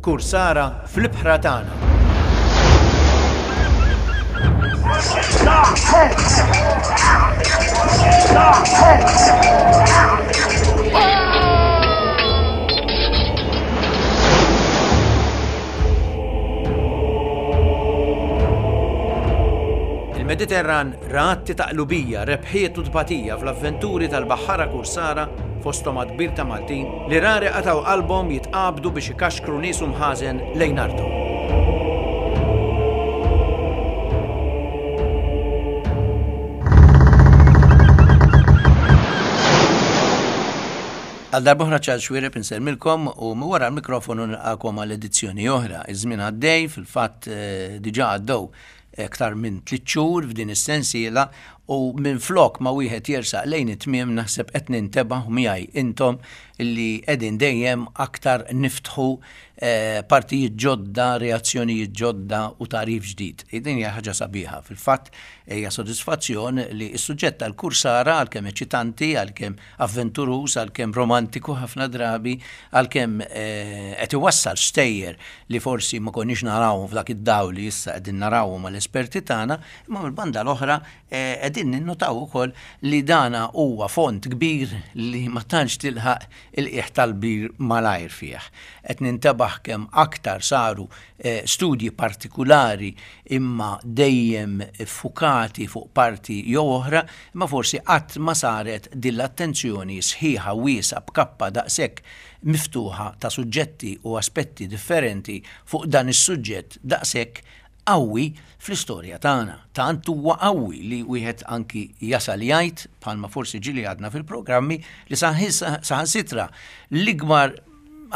Kursara fl-ibħra tagħna. Il-Mediterran ra atti ta' qlubija, rebħiet u tbatija fl-avventuri tal-baħħara kursara fosthom għadd kbir ta' Maltin li rari qatgħu qalbhom jitqabdu biex ikaxkru nies u mħażen lejn arthom. Għal darb'oħra Charles Xuereb insellmilkom u minn wara l-mikrofonu nilqakom għal edizzjoni oħra. Iż-żmien għaddej, fil-fatt eh, diġà għaddew aktar minn tliet xhur f'din is-sensiela u minflok ma wieħed jersaq lejn it-tmiem naħseb qed nintebaħ u miegħi intom li qegħdin dejjem aktar niftħu eh, partijiet ġodda, reazzjonijiet ġodda u tagħrif ġdid. Din hija ħaġa sabiħa. Fil-fatt hija sodisfazzjon li s-suġġett tal-kursara għalkemm eċitanti, għalkemm avventuruż, għalkemm romantiku ħafna drabi, għalkemm eh, qed iwassal stejjer li forsi ma konniex narawhom f'dak id-dawl li issa qegħdin narawhom mal-esperti tagħna, imma mill-banda l-oħra eh, qegħdin ninnotaw ukoll li dana huwa font kbir li ma tantx tilħaq il-qiegħ tal-bir malajr fih. Qed nintebaħ kemm aktar saru eh, studji partikulari imma dejjem iffukati fuq parti jew oħra, imma forsi qatt ma saret din l-attenzjoni sħiħa wiesgħa b'kappa daqshekk miftuħa ta' suġġetti u aspetti differenti fuq dan is-suġġett daqshekk qawwi fl-istorja tagħna. Tant huwa qawwi li wieħed anki jasal jgħid, bħalma forsi ġieli għadna fil-programmi, li saħansitra l-ikbar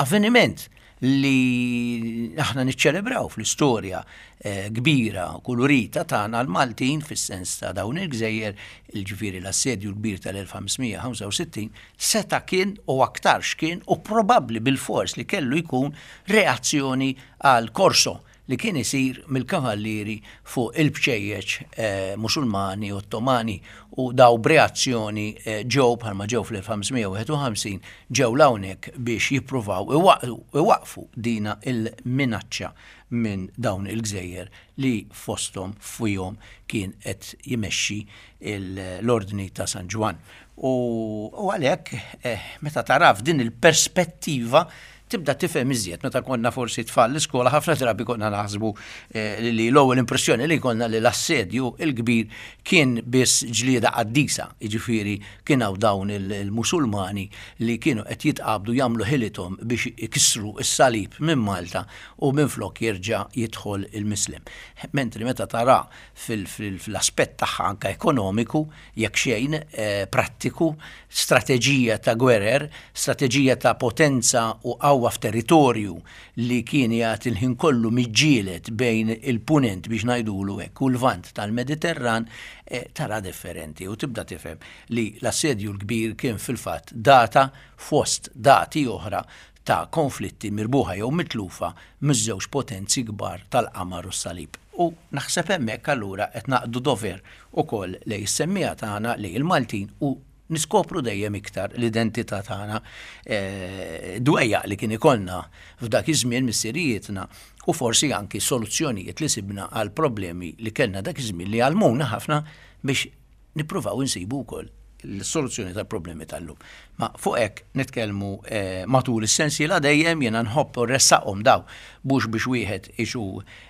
avveniment li aħna niċċelebraw fl-istorja eh, kbira kulurita tagħna l-Maltin fis-sens ta' dawn il-gżejjer, il-ġifieri l-assedju l-kbir tal-1565, seta' kien u aktarx kien u probabbli bil-fors li kellu jkun reazzjoni għal Corso li kien isir mill-kavallieri fuq il-bċejjeċ eh, Musulmani Ottomani u daw b'reazzjoni eh, ġew bħalma ġew fl-1551 ġew l'hawnhekk biex jippruvaw iwaqqfu dina il-minaċċa minn dawn il-gżejjer li fosthom fihom kien qed jmexxi l-Ordni ta' San Ġwann. U għalhekk eh, meta tara f'din il-perspettiva tibda tifhem iżjed. Meta konna forsi tfal l-iskola ħafna drabi konna naħsbu eh, li l-ewwel impressjoni li konna li l-assedju il-kbir kien biss ġlieda qaddisa, jiġifieri kien hawn dawn il-Musulmani li kienu qed jitqabdu jagħmlu ħilithom biex ikissru s-salib minn Malta u minflok jerġa' jidħol il-Mislem. Mentri meta tara fil-aspett tagħha anke ekonomiku, jekk xejn, eh, prattiku, strateġija ta' gwerer, strateġija ta' potenza u qawwa f'territorju li kien jagħti l-ħin kollu miġġieled bejn il-punent biex ngħidulu hekk u l-lvant tal-Mediterran, eh, tara differenti u tibda tifhem li l-assedju l-kbir kien fil-fatt data fost dati oħra ta' konflitti mirbuħa jew mitlufa miż-żewġ potenzi kbar tal-qamar u s-salib. U naħseb hemmhekk allura qed naqdu dover ukoll lejn is-semmiegħa tagħna, lejn il-Maltin u niskopru dejjem iktar l-identità tagħna, dwejjaq li kien ikollna f'dak iż-żmien missirijietna u forsi anki soluzzjonijiet li sibna għal problemi li kellna dak iż-żmien li għallmuna ħafna biex nippruvaw insibu wkoll l-soluzzjoni tal-problemi tal-lum. Ma fuq hekk nitkellmu eh, matul is-sensiela dejjem jiena nħobb u ressaqhom daw mhux biex wieħed isu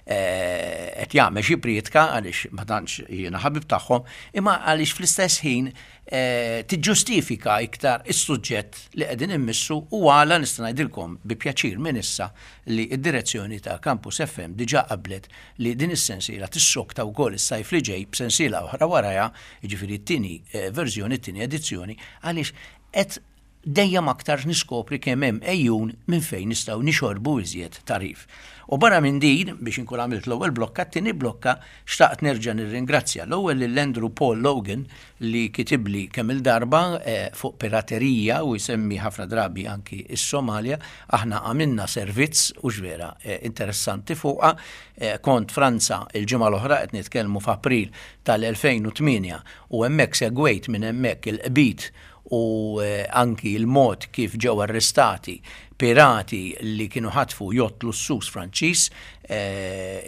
eh, qed jagħmel xi prietka għaliex ma tantx jiena ħabib tagħhom, imma għaliex fl-istess ħin eh, tiġġustifika iktar is-suġġett li qegħdin immissu u għala nista' ngħidilkom bi pjaċir minn issa li d-direzzjoni ta' Campus FM diġà qablet li din is-sensiela tissokta wkoll is-sajf li ġej b'sensiela oħra warajha, jiġifieri t-tieni eh, verżjoni, t-tieni edizzjoni, għaliex qed dejjem aktar niskopri kemm hemm ejjun minn fejn nistgħu nixorbu iżjed tagħrif. U barra minn din, biex inkun għamilt l-ewwel blokka, t-tieni blokka xtaqt nerġa' nirringrazzja l-ewwel lil Andrew Paul Logan li kitibli kemm-il darba eh, fuq piraterija u jsemmi ħafna drabi anki is-Somalja, aħna għamilna servizz u vera eh, interessanti fuqha. Eh, kont Franza il-ġimgħa l-oħra qed nitkellmu f'April tal-2008 u hemmhekk segwejt minn hemmhekk il-qbit u anki l-mod kif ġew arrestati pirati li kienu ħatfu jott lussuż Franċiż,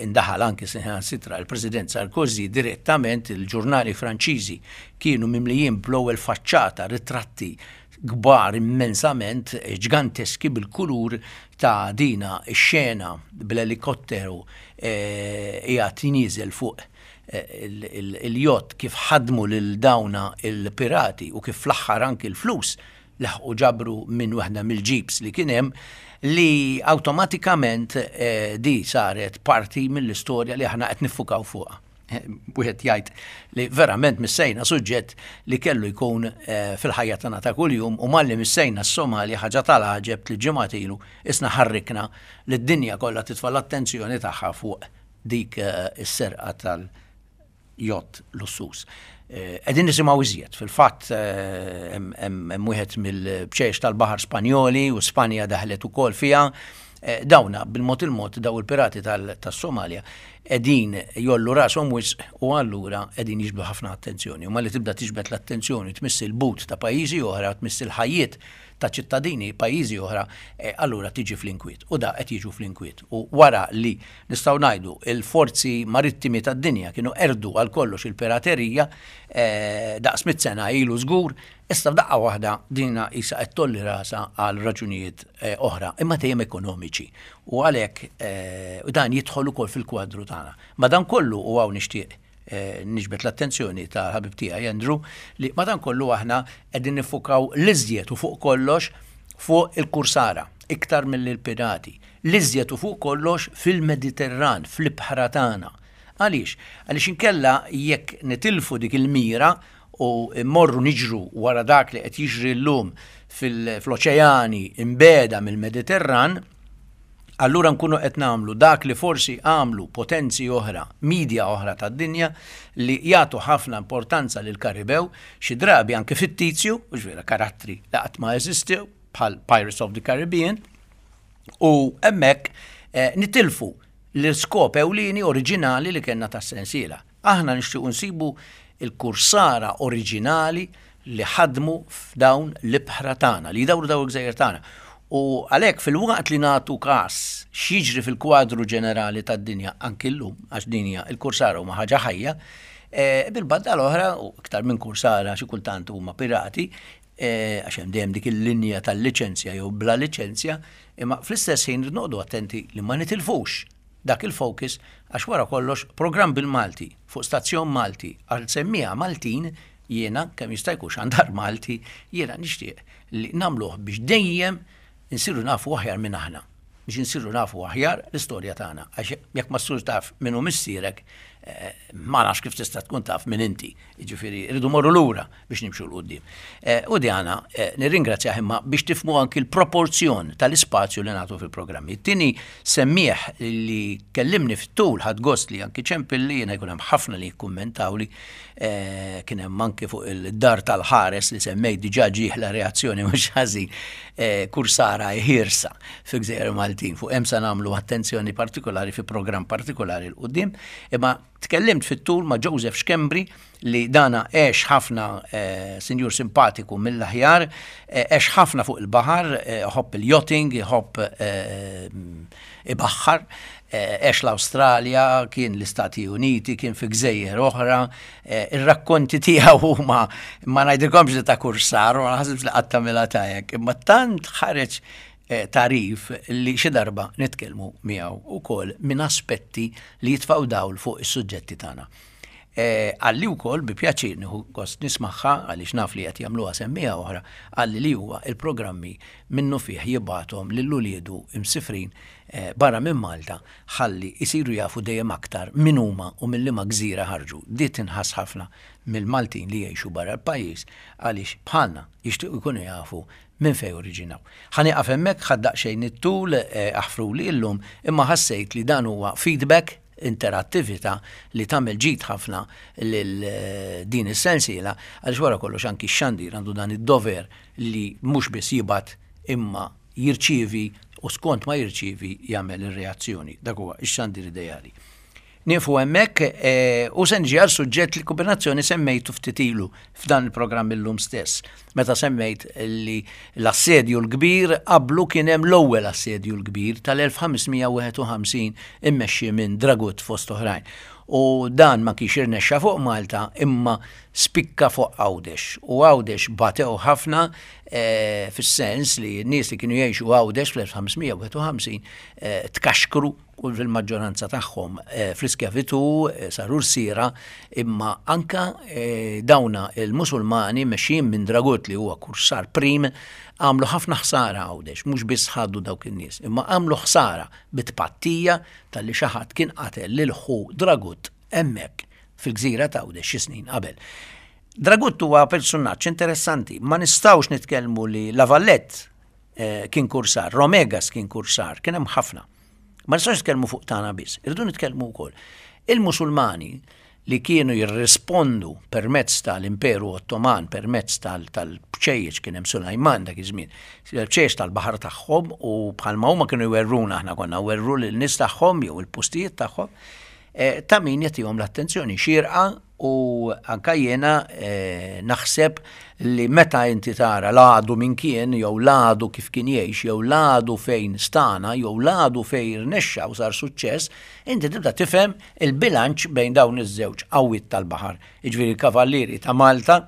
indaħal anki saħansitra l-President Sarkozy direttament, il-ġurnali Franċiżi kienu mimlijin bl-ewwel faċċata ritratti kbar immensament, ġganteski bil-kulur ta' dina x-xena bl-elikotteru qiegħed nieżel fuq il-jott kif ħadmu lil dawna il-pirati u kif fl-aħħar anki l-flus laħqu ġabru minn waħda mill-jeeps li kien hemm li awtomatikament di saret parti mill-istorja li aħna qed niffukaw fuqha. Wieħed jgħid li verament missejna suġġett li kellu jkun fil-ħajja tagħna ta' kuljum u malli missejna s-Somalja ħaġa tal-għaġeb li ġimgħat ilu isna ħarrikna li d-dinja kollha titfa' l-attenzjoni tagħha fuq dik is-serqa tal-jott lussuż. Qegħdin nisimgħu iżjed, fil-fatt hemm wieħed mill-bċejjex tal-baħar Spanjoli u Spanja daħlet ukoll fiha. Dawna bil-mod il-mod daw il-pirati tas-Somalja qegħdin jollu rashom wisq u allura qegħdin jiġbdu ħafna attenzjoni. U malli tibda tiġbed l-attenzjoni tmiss il-but ta' pajjiżi oħra, tmiss il-ħajjiet ta' ċittadini pajjiżi oħra, allura tiġi fl-inkwiet. U da qed jiġu fl-inkwiet. U wara li nistgħu ngħidu il-forzi marittimi tad-dinja kienu qerdu għal kollox il-piraterija daqs mit sena ilu żgur, issa f'daqqa waħda dina qisha qed tolli rasha għal raġunijiet oħra, imma dejjem ekonomiċi. U għalhekk dan jidħol ukoll fil-kwadru tagħna. Madankollu u hawn nixtieq niġbed l-attenzjoni ta' ħabib tiegħi Andrew li madankollu aħna qegħdin nifukaw l-iżjed u fuq kollox fuq il-kursara iktar milli l-pirati. L-iżjed u fuq kollox fil-Mediterran, fl-ibħra tagħna. Għaliex? Għaliex inkella jekk nitilfu dik il-mira u mmorru niġru wara dak li qed jiġri llum fl-oċeani imbeda mill-Mediterran, allura nkunu qed nagħmlu dak li forsi għamlu potenzi oħra, media oħra tad-dinja li jagħtu ħafna importanza lil Karibew, xi drabi anke fittizju, u vera karattri li qatt ma eżistew bħal Pirates of the Caribbean, u hemmhekk nitilfu l-iskop ewlieni oriġinali li kellna tas-sensiela. Aħna nixtiequ nsibu il-kursara oriġinali li ħadmu f'dawn l-ibħra tagħna, li jdawru dawn il-gżejjer tagħna. U għalhekk fil-waqt li nagħtu każ x'jiġri fil-kwadru ġenerali tad-dinja anki llum, għax din hija il-kursara huma ħaġa ħajja, bil-banda l-oħra, u iktar minn kursara xi kultant huma pirati, għax hemm dejjem dik il-linja tal-liċenzja jew bla liċenzja, imma fl-istess ħin noqogħdu attenti li ma nitilfux dak il-focus għax wara kollox programm bil-Malti fuq stazzjon Malti għal semmiegħa Maltin jiena kemm jista' jkun xandar Malti jiena nixtieq li nagħmluh biex dejjem insiru nafu aħjar minn aħna, biex insiru nafu aħjar l-istorja tagħna. Għax jekk ma ssirx taf min hu missierek, ma nafx kif tista' tkun taf min inti. Jiġifieri rridu morru lura biex nimxu 'l quddiem. U Diana nirringrazzjah imma biex tifhmu anki l-proporzjon tal-ispazju li nagħtu fil-programmi. It-tieni semmiegħ li kellimni fit-tul ħadt gost li anki ċempilli, jiena jkun hemm ħafna li jikkummentawli, kien hemm anki fuq il-dar tal-ħares li semmejt diġà ġieħla reazzjoni mhux ħażin, kursara ħiersa fi Gżejjer Maltin. Fuq hemm se nagħmlu attenzjoni partikolari fi programm partikolari 'l quddiem. Imma tkellimt fit-tul ma' Joseph Schembri li dana għex ħafna, sinjur simpatiku mill-aħjar, għex ħafna fuq il-baħar, iħobb il-yachting, iħobb ibaħħar, għex l-Awstralja, kien l-Istati Uniti, kien fi gżejjer oħra, ir-rakkonti tiegħu huma ma ngħidilkomx li ta' kursar, ma naħsibx li qatt tagħmilha ta' hekk, imma tant ħareġ tagħrif li xi darba nitkellmu miegħu wkoll minn aspetti li jitfgħu dawl fuq is-suġġetti tagħna. Qalli wkoll bi pjaċir nieħu gost nismagħha għaliex naf li qed jagħmluha semmiegħa oħra, qalli li huwa il-programmi minnufih jibgħathom lil uliedu msifrin barra minn Malta ħalli jsiru jafu dejjem aktar min huma u minn liema gżira ħarġu. Di tinħass ħafna mill-Maltin li jgħixu barra l-pajjiż għaliex bħalna jixtiequ jkunu jafu minn fejn oriġinaw. Ħa nieqaf hemmhekk, ħadt daqsxejn it-tul, aħfruli illum, imma ħassejt li dan huwa feedback, interattività li tagħmel ġid ħafna lil din is-sensiela għaliex wara kollox anki x-xandir għandu dan id-dover li mhux biss jibgħat imma jirċievi u skont ma jirċievi jagħmel ir-reazzjoni. Dak huwa x-xandir ideali. Nieqfu hemmhekk u se niġi għal suġġett li kombinazzjoni semmejtu ftit ilu f'dan il-programm illum stess, meta semmejt li l-Assedju l-Kbir qablu kien hemm l-ewwel Assedju l-Kbir tal-1551 immexxi minn Dragut fost oħrajn. U dan ma kienx irnexxa fuq Malta imma spikka fuq Għawdex. U Għawdex batew ħafna eh, fis-sens li n-nies li kienu jgħixu Għawdex fl-1551 eh, tkaxkru u fil-maġġoranza tagħhom eh, fl-iskjavitù eh, saru rsiera, imma anka eh, dawna il-Musulmani mexjin minn Dragut li huwa kursar prim għamlu ħafna ħsara Għawdex, mhux biss ħadu dawk in-nies, imma għamlu ħsara bit-tpattija talli xi ħadd kien qatel lil ħu Dragut hemmhekk fil-gżira ta' Għawdex xi snin qabel. Dragut huwa persunaġġ interessanti, ma nistgħux nitkellmu li La Vallette kien kursar, Romegas kien kursar, kien hemm ħafna. Ma nistgħux nitkellmu fuq tagħna biss, irridu nitkellmu wkoll. Il-Musulmani li kienu jirrispondu permezz tal-Imperu Ottoman, permezz tal-bċejjeċ kien hemm Sulajman dak iż-żmien, bċejjeċ tal-baħar tagħhom u bħalma huma kienu jwerruna aħna konna werru lil nies tagħhom jew il-postijiet tagħhom, eh, ta' min jagħtihom l-attenzjoni xierqa U anka jiena eh, naħseb li meta inti tara l-għadu min kien, jew l-għadu kif kien jgħix, jew l-għadu fejn stana, jew l-għadu fejn rnexxa u sar suċċess, inti tibda tifhem il-bilanċ bejn dawn iż-żewġ qawwiet tal-baħar. Jiġifieri l-Kavallieri ta' Malta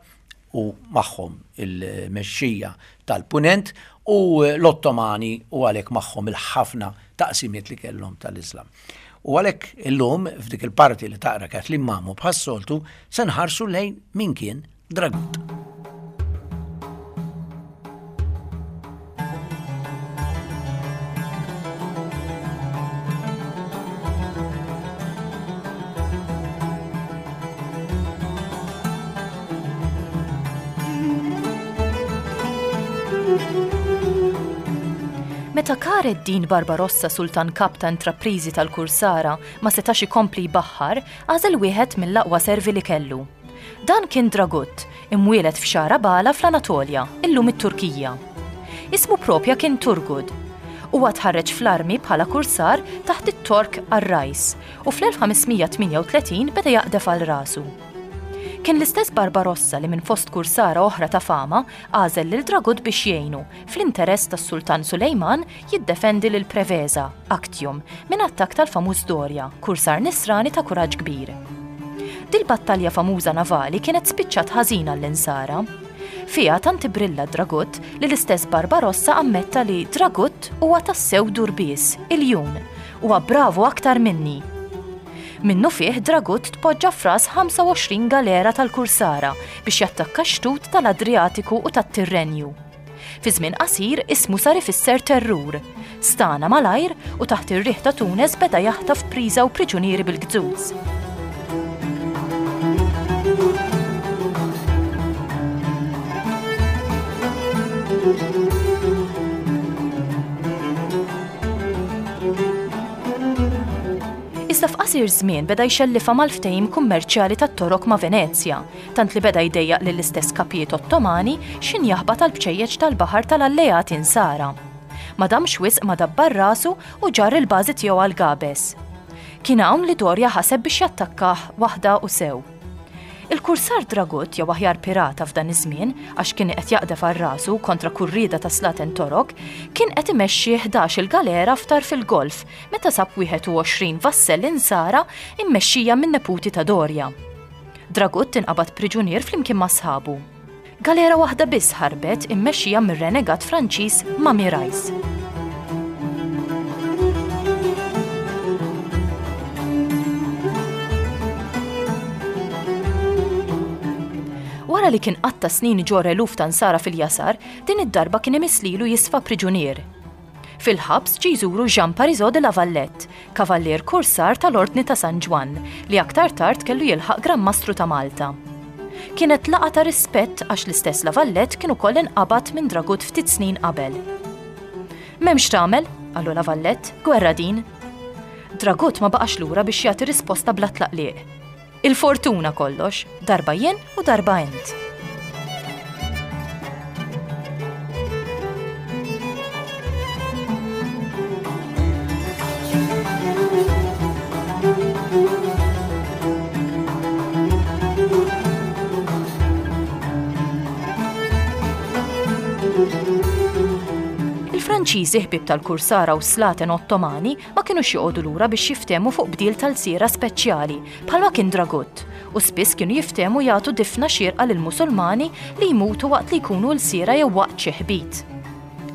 u magħhom il-mexxija tal-Punent u l-Ottomani u għalhekk magħhom il-ħafna taqsimiet li kellhom tal-Iżlam. U għalhekk illum f'dik il-parti li taqra Kathleen Mamo bħas-soltu se nħarsu lejn min kien Dragut. Meta Kar ed-Din Barbarossa sultan kap ta' intrapriżi tal-kursara ma setax ikompli jbaħħar, għażel wieħed mill-aqwa servi li kellu. Dan kien Dragut, imwieled f'Xara Bala fl-Anatolja, illum it-Turkija. Ismu propja kien Turgud. Huwa tħarreġ fl-armi bħala kursar taħt it-Tork Arrajs u fl-1538 beda jaqdef għal rasu. Kien l-istess Barbarossa li minn fost kursara oħra ta' fama għażel lil Dragut biex jgħinu, fl-interess tas-Sultan Sulejman, jiddefendi lil Preveza, Actium, minn attakk tal-famuż Doria, kursar Nisrani ta' kuraġġ kbir. Dil-battalja famuża navali kienet spiċċat ħażin għall-Insara. Fiha tant ibrilla Dragut li l-istess Barbarossa ammetta li Dragut huwa tassew durbies, iljun, huwa bravu aktar minni. Minnufih Dragut tpoġġa f'ras 25 galera tal-kursara biex jattakka x-xtut tal-Adrijatiku u tat-Tirrenju. Fi żmien qasir ismu sar ifisser terrur. Stagħna malajr u taħt ir-riħ ta' Tunes beda jaħtaf priża u priġunieri bil-gzuz. Iżda f'qasir żmien beda jxellifha mal-ftehim kummerċjali tat-Torok ma' Venezja, tant li beda jdejjaq lill-istess kapijiet Ottomani x'ħin jaħbat għall-bċejjeċ tal-baħar tal-alleati Nsara. Ma damx wisq ma dabbar rasu u ġarr il-bażi tiegħu għal Gabes. Kien hawn li Doria ħaseb biex jattakkah waħda u sew. Il-kursar Dragut, jew aħjar pirata f'dan iż-żmien, għax kien qed jaqdef għal rasu kontra kull rieda ta' slaten Torok, kien qed imexxi 11-il galera f'tarf il-Golf meta sab 21 vassell Insara mmexxija min-neputi ta' Doria. Dragut inqabad priġunier flimkien ma' sħabu. Galera waħda biss ħarbet immexxija mir-renegat Franċiż Mami Rice. Wara li kien qatta' snin iġorr eluf ta' Nsara fil-jasar, din id-darba kien imiss lilu jisfa' priġunier. Fil-ħabs ġie jżuru Jean Parisot de la Valette, kavallier kursar tal-Ordni ta' San Ġwann, li aktar tard kellu jilħaq Gran Mastru ta' Malta. Kienet laqgħa ta' rispett għax l-istess La Valette kien ukoll inqabad minn Dragut ftit snin qabel. M'hemmx x'tagħmel, qallu La Valette, gwerra din. Dragut ma baqax lura biex jagħti risposta bla tlaqliq. Il-fortuna kollox, darba jien u darba int. Il-Franċiżi ħbieb tal-Kursara u s-Slaten Ottomani ma kinux joqogħdu lura biex jiftehmu fuq bdil ta' lsiera speċjali, bħalma kien Dragut, u spiss kienu jiftehmu jagħtu difna xierqa lill-Musulmani li jmutu waqt li jkunu lsiera jew waqt xi ħbit.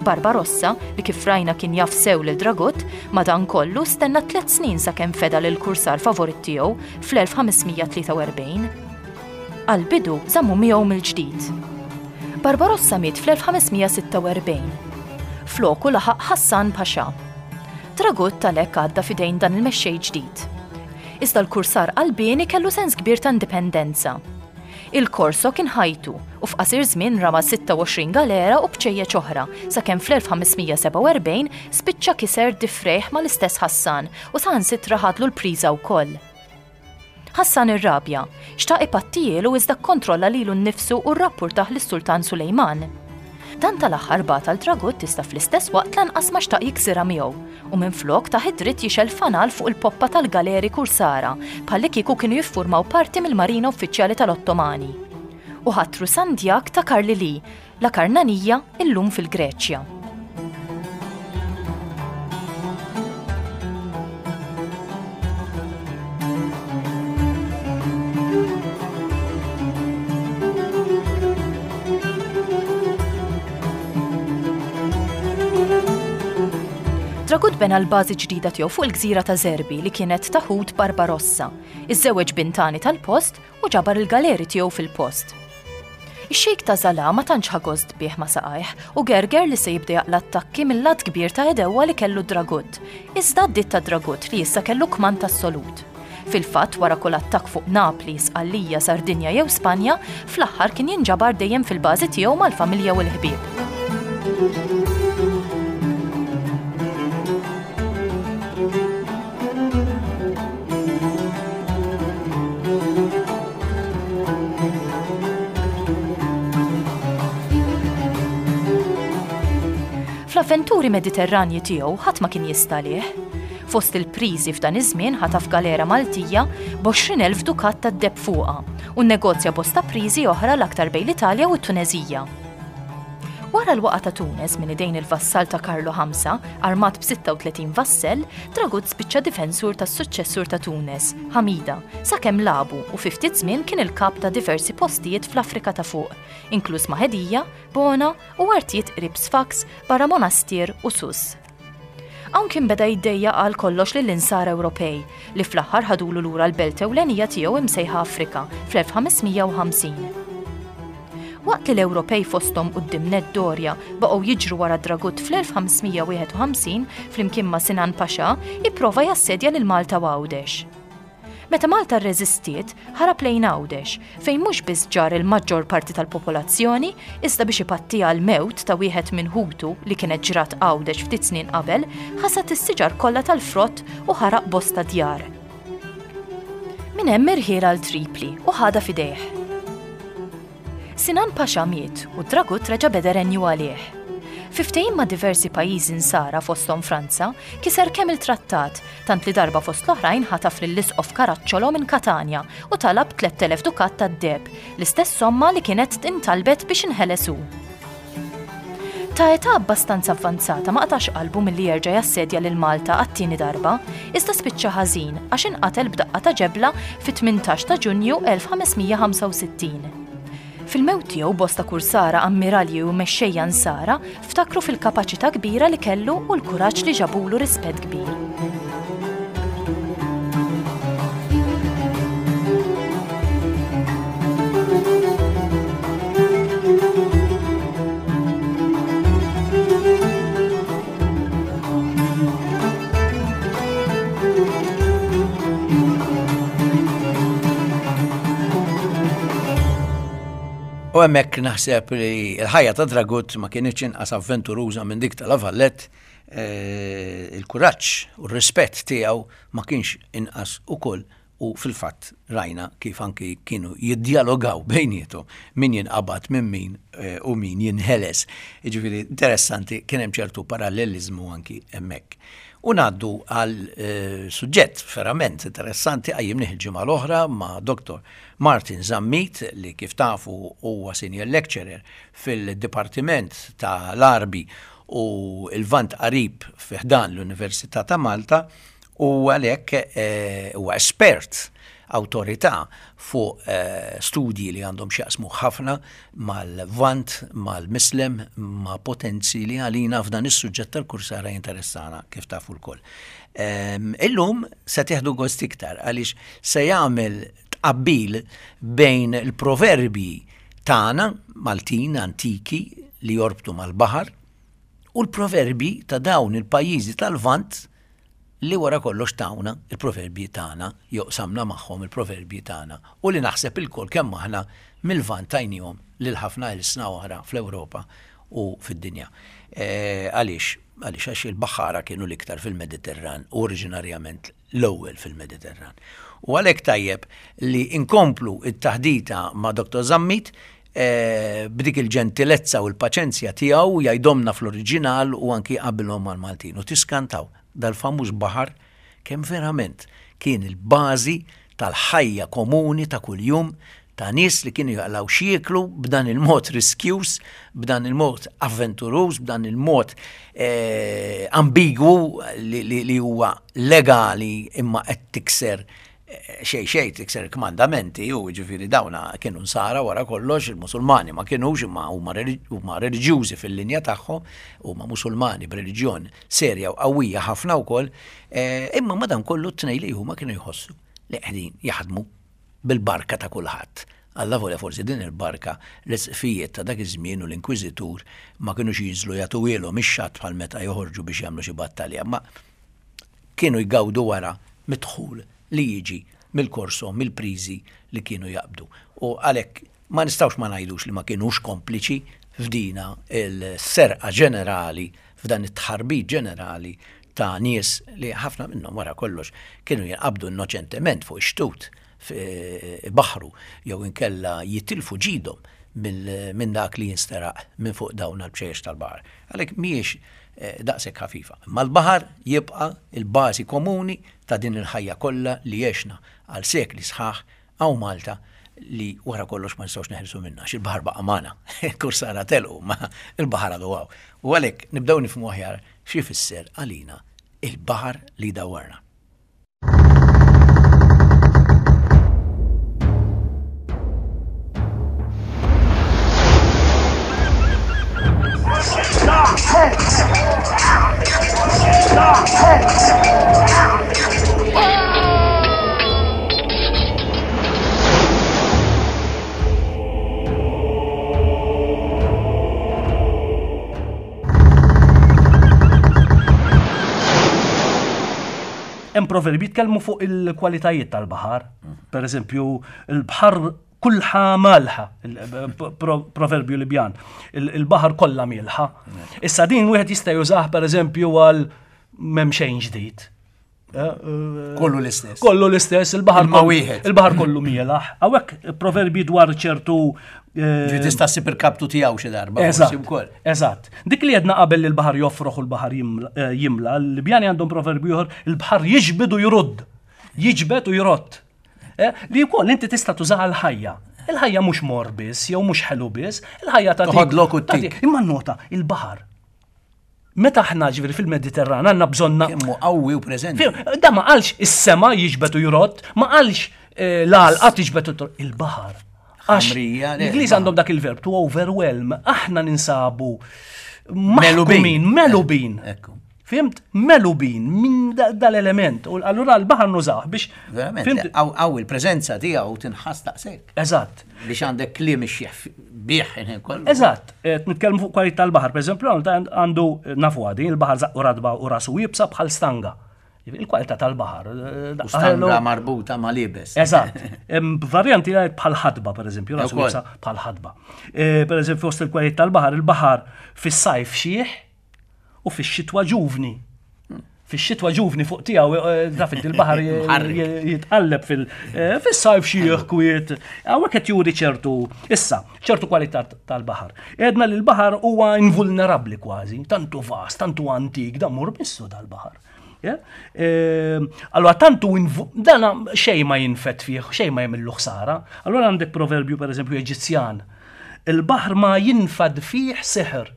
Barbarossa, li kif rajna kien jaf sew lil Dragut, madankollu stenna tliet snin sakemm feda lill-kursar favorit tiegħu fl-1543. Għall-bidu żammu miegħu mill-ġdid. Barbarossa miet fl-1546. Floku laħaq Hassan Pasha. Dragut għalhekk għadda f'idejn dan il-mexxej ġdid. Iżda l-kursar qalbieni kellu sens kbir ta' indipendenza. Il-Corso kien ħajtu u f'qasir żmien rama 26 galera u bċejjeċ oħra sakemm fl-1547 spiċċa kiser difrejh mal-istess Hassan u saħansitra ħadlu l-priża wkoll. Hassan irrabja, xtaq ipattijielu iżda kkontrolla lilu nnifsu u rrappurtah lis-Sultan Sulejman. Dan tal-aħħar bagħat għal Dragut iżda fl-istess waqt lanqas ma xtaq jiksirha miegħu u minflok tah id-dritt jixgħel fanal fuq il-poppa tal-galeri kursara bħallikieku kienu jiffurmaw parti mill-marina uffiċjali tal-Ottomani. U ħatru Sandjak ta' Karlili, La Karnanija, illum fil-Greċja. Dragut bena l-bażi ġdida tiegħu fuq il-gżira ta' Zerbi li kienet ta' ħut Barbarossa. Iżżewweġ bintani tal-post u ġabar il-galeri tiegħu fil-post. Ix-Xejk ta' Zala ma tantx ħa gost bih ma' saqajh u gerger li se jibda jaqla' attakki mill-għadd kbir ta' għedewwa li kellu Dragut. Iżda għaddiet ta' Dragut li issa kellu kmand assolut. Fil-fatt, wara kull attakk fuq Napli, Sqallija, Sardinja jew Spanja, fl-aħħar kien jinġabar dejjem fil-bażi tiegħu mal-familja u l-ħbieb. Fl-avventuri Mediterranji tiegħu ħadd ma kien jista' għalih. Fost il-priżi f'dan iż-żmien ħataf galera Maltija b'20,000 dukat tad-deheb fuqha u nnegozja bosta priżi oħra l-aktar bejn l-Italja u t-Tuneżija. Wara l-waqgħa ta' Tunes minn idejn il-vassall ta' Karlu Ħamsa, armat b'36 vassell, Dragut spiċċa difensur tas-suċċessur ta' Tunes, Ħamida, sakemm lagħbu u fi ftit żmien kien il-kap ta' diversi postijiet fl-Afrika ta' Fuq, inkluż Mahedija, Bona u artijiet qrib Sfax barra Monastir u Sousse. Hawn kien beda jiddejjaq għal kollox lill-Insara Ewropej, li fl-aħħar ħadulu lura l-belt ewlenija tiegħu imsejħa Afrika fl-1550. Waqt li l-Ewropej fosthom quddiem nett Doria baqgħu jiġru wara Dragut fl-1551 flimkien ma' Sinan Pasha ipprova jassedja lil Malta u Għawdex. Meta Malta rreżistiet, ħarab lejn Għawdex, fejn mhux biss ġarr il-maġġor parti tal-popolazzjoni, iżda biex ipattiha l-mewt ta' wieħed minn ħutu li kienet ġrat Għawdex ftit snin qabel, ħasad is-siġar kollha tal-frott u ħaraq bosta djar. Minn hemm irħiel għal Tripli u ħadha f'idejh. Sinan Pasha miet u Dragut reġa' beda renju għalih. Fi ftehim ma' diversi pajjiżi Nsara fosthom Franza, kiser kemm il-trattat, tant li darba fost l-oħrajn ħataf lill-Isqof Caracciolo minn Katanja u talab 3,000 dukat tad-deheb, l-istess somma li kienet intalbet biex inħeles hu. Ta' età abbastanza avvanzata ma qatax qalbu milli jerġa' jassedja lil Malta għat-tieni darba, iżda spiċċa ħażin għax inqatel b'daqqa ta' ġebla fit-18 ta' Ġunju 1565. Fil-mewt tiegħu bosta kursara, ammiralji u mexxejja Nsara ftakru fil-kapaċità kbira li kellu u l-kuraġġ li ġabulu rispett kbir. U hemmhekk naħseb li l-ħajja ta' Dragut ma kienx inqas avventuruża minn dik ta' La Vallette, eh, il-kuraġġ u r-rispett tiegħu ma kienx inqas ukoll u fil-fatt rajna kif anki kienu jiddjalogaw bejniethom min jinqabad minn min eh, u min jinħeles. Jiġifieri interessanti kien hemm ċertu paralleliżmu anki hemmhekk. U ngħaddu għal eh, suġġett verament interessanti qajjimnih il-ġimgħa l-oħra ma' Dr. Martin Zammit li kif tafu huwa senior lecturer fil-Dipartiment tal-Għarbi. u l-Lvant Qarib fi ħdan l-Università ta' Malta u għalhekk eh, huwa espert awtorità fuq eh, studji li għandhom x'jaqsmu ħafna mal-Lvant, mal-Mislem, ma' potenzi li għalina f'dan is-suġġett tal-kursara jinteressana kif tafu lkoll. Ehm, illum se teħdu gost iktar għaliex se jagħmel tqabbil bejn il-proverbji tagħna Maltin antiki li jorbtu mal-baħar u l-proverbji ta' dawn il-pajjiżi tal-Lvant li wara kollox tawna il-proverbji tagħna jew qsamna magħhom il-proverbji tagħna u li naħseb ilkoll kemm aħna mil-Lvant tajniehom lil ħafna ilsna oħra fl-Ewropa u fid-dinja. Eh, għaliex? Għaliex għax il-baħħara kienu l-iktar fil-Mediterran u oriġinarjament l-ewwel fil-Mediterran. U għalhekk tajjeb li nkomplu t-taħdita ma' Dr. Zammit eh, b'dik il-ġentilezza u l-paċenzja tiegħu jgħidhomna fl-oriġinal u anki jqabbilhom mal-Maltin. U tiskantaw dal-famuż baħar kemm verament kien il-bażi tal-ħajja komuni ta' kuljum ta' nies li kienu jaqlgħu x'jieklu b'dan il-mod riskjuż, b'dan il-mod avventuruż, b'dan il-mod eh, ambigwu li, li, li huwa legali imma qed tikser eh, xej xej tikser kmandamenti u ġifiri dawna kienu nsara wara kollox il-Musulmani ma kienux imma huma reliġjużi fil-linja tagħhom huma Musulmani b'reliġjon serja u qawwija ħafna wkoll, eh, imma madankollu t-tnej li huma kienu jħossu li qegħdin jaħdmu bil-barka ta' kulħadd. Allavolja forsi din il-barka l-isqfijiet ta' dak iż-żmien u l-inkwiżitur ma kinux jinżlu jagħtuhielhom ix-xatt bħal meta joħorġu biex jagħmlu xi battalja, imma kienu jgawdu wara mid-dħul li jiġi mill-korso, mill-priżi li kienu jaqbdu. U għalhekk ma nistgħux ma ngħidux li ma kinux kompliċi f'dina l-serqa ġenerali, f'dan it-tħarbit ġenerali ta' nies li ħafna minnhom wara kollox kienu jinqabdu innoċentement fuq ix-xtut ibaħħru jew inkella jitilfu ġidhom minn dak li jinsteraq minn fuq dawn għall-bċejjeċ tal-baħar. Għalhekk mhijiex eh, daqshekk ħafifa. Imma l-baħar jibqa' il-bażi komuni ta' din il-ħajja kollha li għexna għal sekli sħaħ Hawn Malta li wara kollox ma nistgħux neħilsu minnha għax il-baħar baqa' magħna. Il-kursara telqu ma il-baħar għadu hawn. U għalhekk nibdew nifhmu aħjar xi jfisser għalina il-baħar li jdawwarna. Hemm proverbi jitkellmu fuq il-kwalitajiet tal-baħar. Per eżempju, il-baħar Kulħa malħa, proverbju Libjan, il-baħar kollha mielħa. Issa din wieħed jista' jużah pereżempju għal m'hemm xejn ġdid. Eh, eh, kollu l-istess. Kollu l-istess, il-baħar kollu wieħed. Il-baħar kollu mielaħ. Hawnhekk proverbi dwar ċertu eh, Ġi tista' ssib il-kaptu tiegħu xi darba. Eżatt. Eżatt. Dik li jedna qabel li l-baħar joffroħ u l-baħar jimla, l-Libjani għandhom proverbju ieħor, il-baħar jiġbed u jrudd. Jiġbed u jrott. Eh, li wkoll inti tista' tużaha l-ħajja. Il-ħajja mhux mor biss, jew mhux ħelu biss, il-ħajja ta' Toħodlok u tik. Imma nota, il-baħar. Meta aħna ġifieri fil-Mediterran għandna bżonna. Kemmu qawwi u preżenti. Da ma qalx is-sema jiġbed u jrott, ma qalx eh, l-għalqa tiġbed u trott, il-baħar. Għax l-Ingliż għandhom dak il-verb to overwhelm, aħna ninsabu melubin, melubin. Fimt? Melubin minn dal-element. U allura l-baħar nużah biex. Verament, għaw il-preżenza tiegħu tinħass daqshekk. Eżatt. Biex għandek kliem ixjeħ bih kollu. Eżatt. Eh, nitkellmu fuq kwalità tal-baħar, pereżempju, għandu nafu għadi, il-baħar zaqqu radba u rasu jibsa bħal stanga. Il-kwalità tal-baħar. Eh, stanga marbuta ma' libes. Eżatt. Varjanti bħal ħadba, pereżempju, rasu jibsa bħal ħadba. Eh, pereżempju, fost il-kwalità tal-baħar, il-baħar fis-sajf xieħ, u fix-xitwa ġuvni. Fix-xitwa ġuvni fuq tiegħu eh, taf inti l-baħar jitqalleb eh, fis-sajf xi kwiet. Hawnhekk qed juri ċertu issa, ċertu kwalità tal-baħar. Edna li l-baħar huwa invulnerabbli kważi, tantu vast, tantu antik, dan mur bissu dal-baħar. Eh, allora tantu dana xejn ma jinfet fih, xejn ma jagħmillu ħsara. Allora għandek proverbju pereżempju Eġizzjan. Il-baħar ma jinfad fih seħer.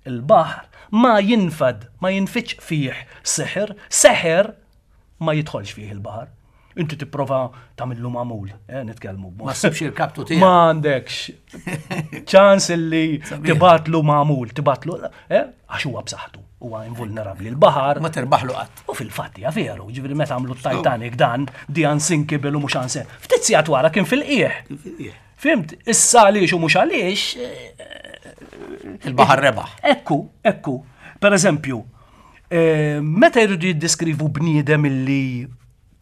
Il-baħar Ma jinfad, ma jinfidx fih seħer, seħer ma jidħolx fih il-baħar. Inti tipprova tagħmillu magħmul, eh, nitkellmu b'mod. Ma ssibx il-kaptu tiegħek. Ma għandekx ċans illi tibatlu magħmul, tibatlu, eh, għax huwa b'saħħtu, huwa invulnerabbli. Il-baħar. Ma terbaħlu qatt. U fil-fatt hija veru, ġifieri meta għamlu Titanic dan, di unsinkable u mhux anse. Ftit sigħat wara kien fil-qiegħ. Fimt, issa għaliex u mhux għaliex. Eh, Il-baħar rebaħ. Ekku, ekku. Per eżempju, eh, meta jridu jiddeskrivu bniedem illi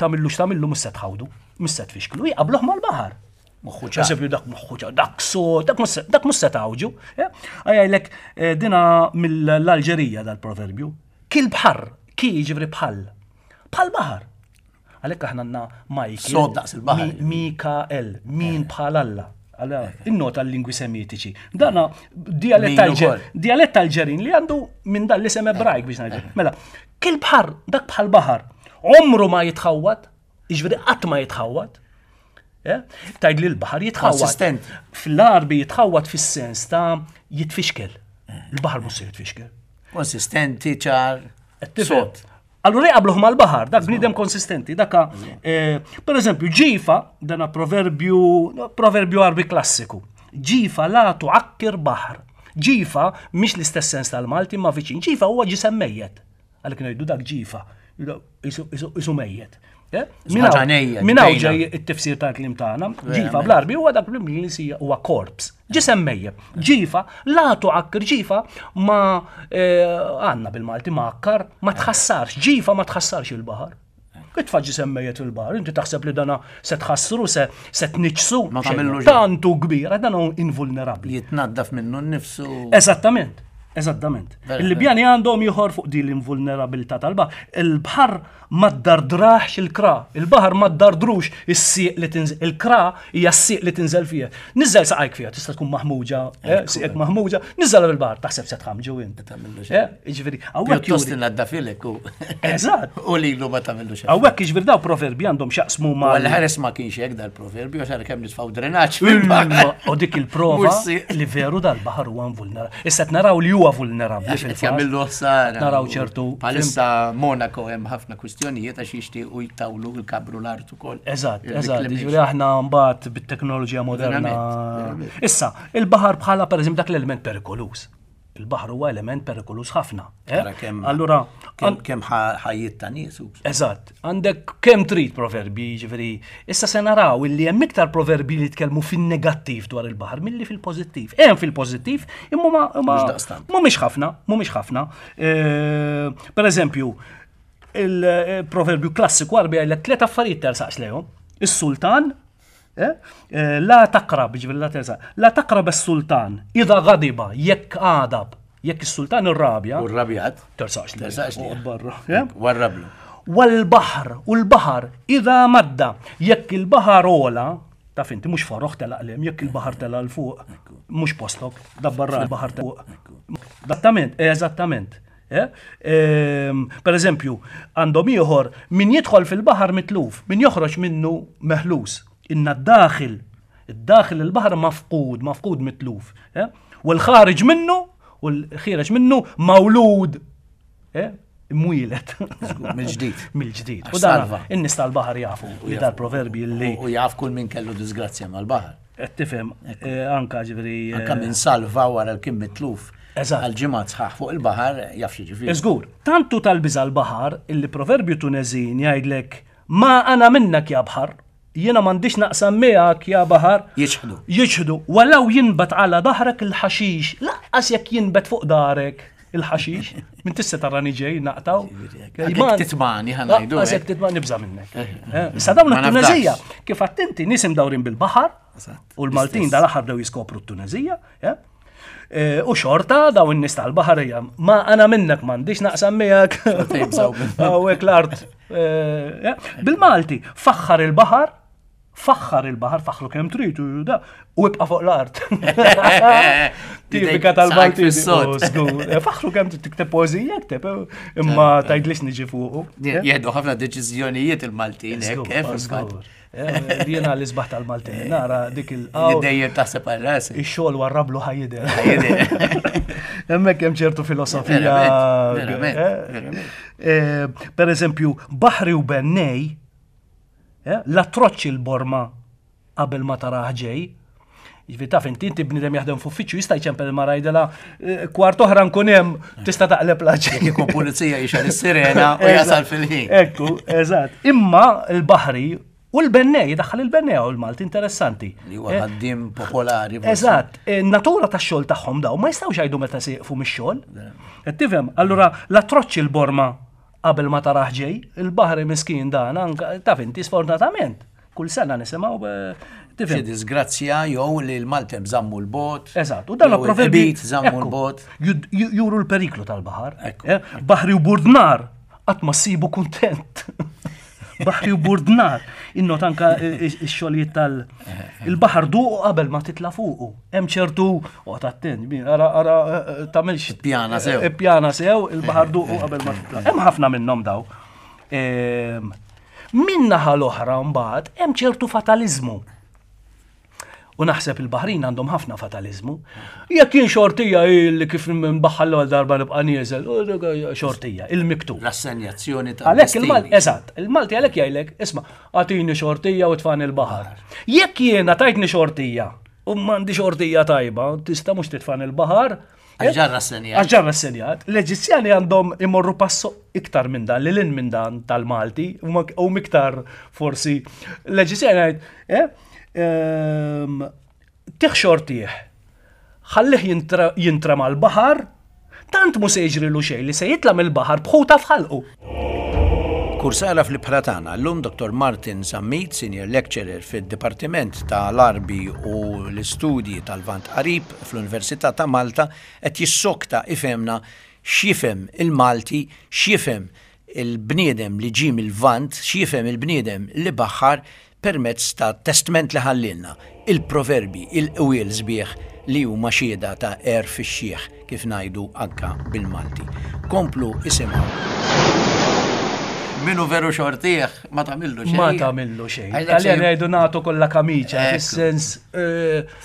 tagħmillu x'tagħmillu mhux se tħawdu, mhux se tfixklu, jqabluh mal-baħar. Moħħu ċar. Eżempju, dak moħħu ċar, dak so, dak mhux se tgħawġu. Eh? Għajlek dina mill-Alġerija dal-proverbju. Kil bħar, ki jiġri bħal. Bħal baħar. Għalhekk aħna għandna Michael. Sod daqs il-baħar. Mikael, min bħal Alla. Innota l-lingwi semitiċi. Dana dialett tal-ġerin li għandu minn dan l-isem ebrajk biex ngħidu. Eh. Mela, kil bħar, dak bħal baħar, omru ma jitħawwad, jiġifieri qatt ma jitħawwad. Eh? Tajd li l-baħar jitħawwad. Konsistenti. Fl-arbi jitħawwad fis-sens ta' jitfixkel. Eh. Il-baħar mhux se jitfixkel. Konsistenti, ċar. Sod. Allura jqabluh mal-baħar, dak bniedem konsistenti, daka, eh, per eżempju, ġifa, dana proverbju, proverbju arbi klassiku, ġifa la tuakkir baħar. Ġifa, mhix l-istess sens tal-Malti ma viċin, ġifa huwa ġisem mejjet. Għalhekk ngħidu dak ġifa, isu mejjet. Eh? Minn hawn ġej it-tifsir tal-kliem tagħna, ġifa bl-arbi huwa dak bl-Ingliż huwa korps. Ġisem mejjeb. Ġifa, la tuakkir ġifa ma eh, għandna bil-Malti ma akkar, ma tħassarx, ġifa ma tħassarx il-baħar. Itfa' ġisem mejjet fil-baħar, inti taħseb li dana se tħassru, se se tniġsu. Ma tagħmillu Tantu kbira, dan hu invulnerabbli. Jitnaddaf minnu nnifsu. Eżattament. Eżattament. Il-Libjani għandhom ieħor fuq din l-invulnerabilità tal-baħar. Il-baħar Ma ddardrahx il-kra. Il-baħar ma ddardrux is-sieq li tinżel. Il-kra hija s-sieq li tinżel fiha. Niżel saqajk fiha, tista' tkun maħmuġa, eh, sieqek maħmuġa, niżel fil-baħar, taħseb se tħamġu int. Eh, jiġifieri, hawnhekk Pjuttost innaddafilek u. Eżatt. U lilu ma tagħmillu xejn. Hawnhekk jiġifieri daw proverbi għandhom x'jaqsmu ma. Għal ħares ma kienx hekk dal-proverbju għax kemm nitfgħu drenaġġ. U dik il-prova li veru dal-baħar huwa invulnerabbli. Issa qed naraw li huwa vulnerabbli fil-fatt. Jagħmillu ħsara. Naraw ċertu. Bħalissa Monaco hemm ħafna kwistjonijiet għax jixtiequ jtawlu l-kabru l-art ukoll. Eżatt, eżatt. Jiġifieri aħna mbagħad bit-teknoloġija moderna. Issa, il-baħar bħala pereżempju dak l-element perikoluż. Il-baħar huwa element perikoluż ħafna. Eh? Allura kemm ħajjiet ta' nies. Eżatt, għandek kemm trid proverbi, jiġifieri. Issa se naraw illi hemm iktar proverbi li jitkellmu fin-negattiv dwar il-baħar milli fil-pożittiv. Hemm fil-pożittiv, imma ma mhumiex ħafna, mhumiex ħafna. Eh, per eżempju, il-proverbju klassiku għarbi għajlek tliet affarijiet tersaqx lejhom. Is-sultan, eh, eh, la taqrab, ġifieri la tersaq, la taqrab is-sultan, idha ghadiba, jekk għadab, jekk is-sultan irrabja. U rrabjat. Tersaqx lejh. Tersaqx lejh. Barra. Warrablu. Wal-baħr, u l-baħar, idha madda, jekk il-baħar ola, taf inti mhux foroħ telaq lem, jekk il-baħar tela' 'l fuq, mhux postok, dabbar il-baħar fuq. Eżattament, eżattament. Eh? Ehm, per eżempju, għandhom ieħor min jidħol fil-baħar mitluf, min joħroġ minnu meħlus. Inna d-daħil, id-daħil il-baħar mafqud, mafqud mitluf. Eh? U l-ħareġ minnu, u l-ħireġ minnu mawlud. Eh? Imwieled. Mill-ġdid. Mill-ġdid. U dan in-nies tal-baħar jafu li dal-proverbi li. U jaf kull min kellu disgrazzja mal-baħar. Qed tifhem, eh, anka ġifieri. Eh, anka min salva wara l kien mitluf. Eżatt. Għal ġimgħat sħaħ fuq il-baħar jaf xi ġifieri. Żgur, tantu tal-biża' l-baħar illi proverbju Tuneżin jgħidlek ma ana minnak ja baħar. Jiena m'għandix naqsam miegħek ja baħar. Jiċħdu. Jiċħdu. Walaw jinbat għala dahrek il-ħaxix, laqqas jekk jinbet fuq darek il-ħaxix, minn tista tarani ġej naqtaw. Jekk titmani ħanajdu. Laqqas jekk titmani nibża' minnek. Eh, eh, issa dawn it-Tunezija, kif attenti nies imdawrin bil-baħar, u l-Maltin dal-aħħar bdew jiskopru t-Tunezija, eh? Eh, u xorta daw in-nies tal-baħar hija ma ana minnek m'għandix naqsam miegħek. Hawnhekk l-art. Eh, eh, bil-Malti, faħħar il-baħar. Faħħar il-baħar, faħħru kemm trid u da, u ibqa' fuq l-art. Tipika tal-Malti. Eh, faħħru kemm trid tikteb poeżija, kteb, eh, imma tgħidlix niġi fuqu. Eh? Jieħdu ħafna deċiżjonijiet il-Maltin, hekk, Jiena l-isbaħ tal-Maltin, nara dik il Dejjem taħseb għal rasi. Ix-xogħol warrablu ħajjider. Hemmhekk hemm ċertu filosofija. Per eżempju, baħri u bennej, Eh, la troċċi l-borma qabel ma tarah ġej. Ġifi taf inti inti bniedem jaħdem f'uffiċċju jista' jċempel il-mara jgħidilha eh, kwart oħra nkun hemm tista' taqleb la ġej. Jekk ikun pulizija jixgħel is-sirena u jasal fil-ħin. Ekku, eżatt. Imma l-baħri u l-bennej, daħħal il-bennej u l-Malti interessanti. Li huwa eh, ħaddiem popolari. Eżatt, natura tax-xogħol tagħhom daw ma jistgħux jgħidu meta se jieqfu mix-xogħol. Qed tifhem? Allura la troċċi l-borma Qabel ma tarah ġej, il-baħri miskin dan anka taf inti sfortunatament kull sena nisimgħu eh, tifhem. Xi disgrazzja jew li l-Maltem żammu l-bot. Eżatt, u dan proverbi żammu l-bot. Juru l-periklu tal-baħar. Eh, baħri u burdnar qatt ma ssibu kuntent. Baħri u burdnar. Innot anka x-xogħlijiet tal- Il-baħar duqu qabel ma titla' fuqu. Hemm ċertu, oqgħod attent, ara ara eh, tagħmilx. Pjana sew. Eh, pjana sew, il-baħar duqu qabel ma titla'. Hemm ħafna minnhom daw. Ehm, min naħa l-oħra mbagħad hemm ċertu fataliżmu. U naħseb il-Baħrin għandhom ħafna fataliżmu. Jekk jien xortija li kif nbaħħal l-ewwel darba nibqa' nieżel, xortija, il-miktub. L-assenjazzjoni ta' Għalhekk il-Malti, eżatt, il-Malti għalhekk jgħidlek, isma' agħtini xortija u tfani l-baħar. Jekk jiena tajtni xortija u m'għandi xortija tajba, tista' mhux titfani l-baħar, Għax ġa rrassenjat. Għax ġa rrassenjat. L-Eġizzjani għandhom imorru passo iktar minn dan, lil minn dan tal-Malti, u miktar forsi. L-Eġizzjani għajt, eh, ehm, tih xortih, ħallih jintra mal-baħar, tant mu se jiġrilu xejn li se jitla' mill-baħar b'ħuta f'ħalqu. Kursara fl-ibħra tagħna llum Dr. Martin Zammit, Senior Lecturer fid-Dipartiment ta' l-Għarbi u l-Istudji tal-Lvant Qarib fl-Università ta' Malta qed jissokta ifhemna x'jifhem il-Malti, x'jifhem il-bniedem li ġie mil-Lvant, x'jifhem il-bniedem li baħħar permezz ta' testment li ħallielna, il-proverbji, il-qwiel sbieħ li huma xhieda ta' għerf ix-xiħ, kif ngħidu anka bil-Malti. Komplu isimgħu. Min hu veru xortih ma tagħmillu xejn. Ma tagħmillu xejn. Taljan jgħidu nagħtu kollha kamiċa, fis-sens eh,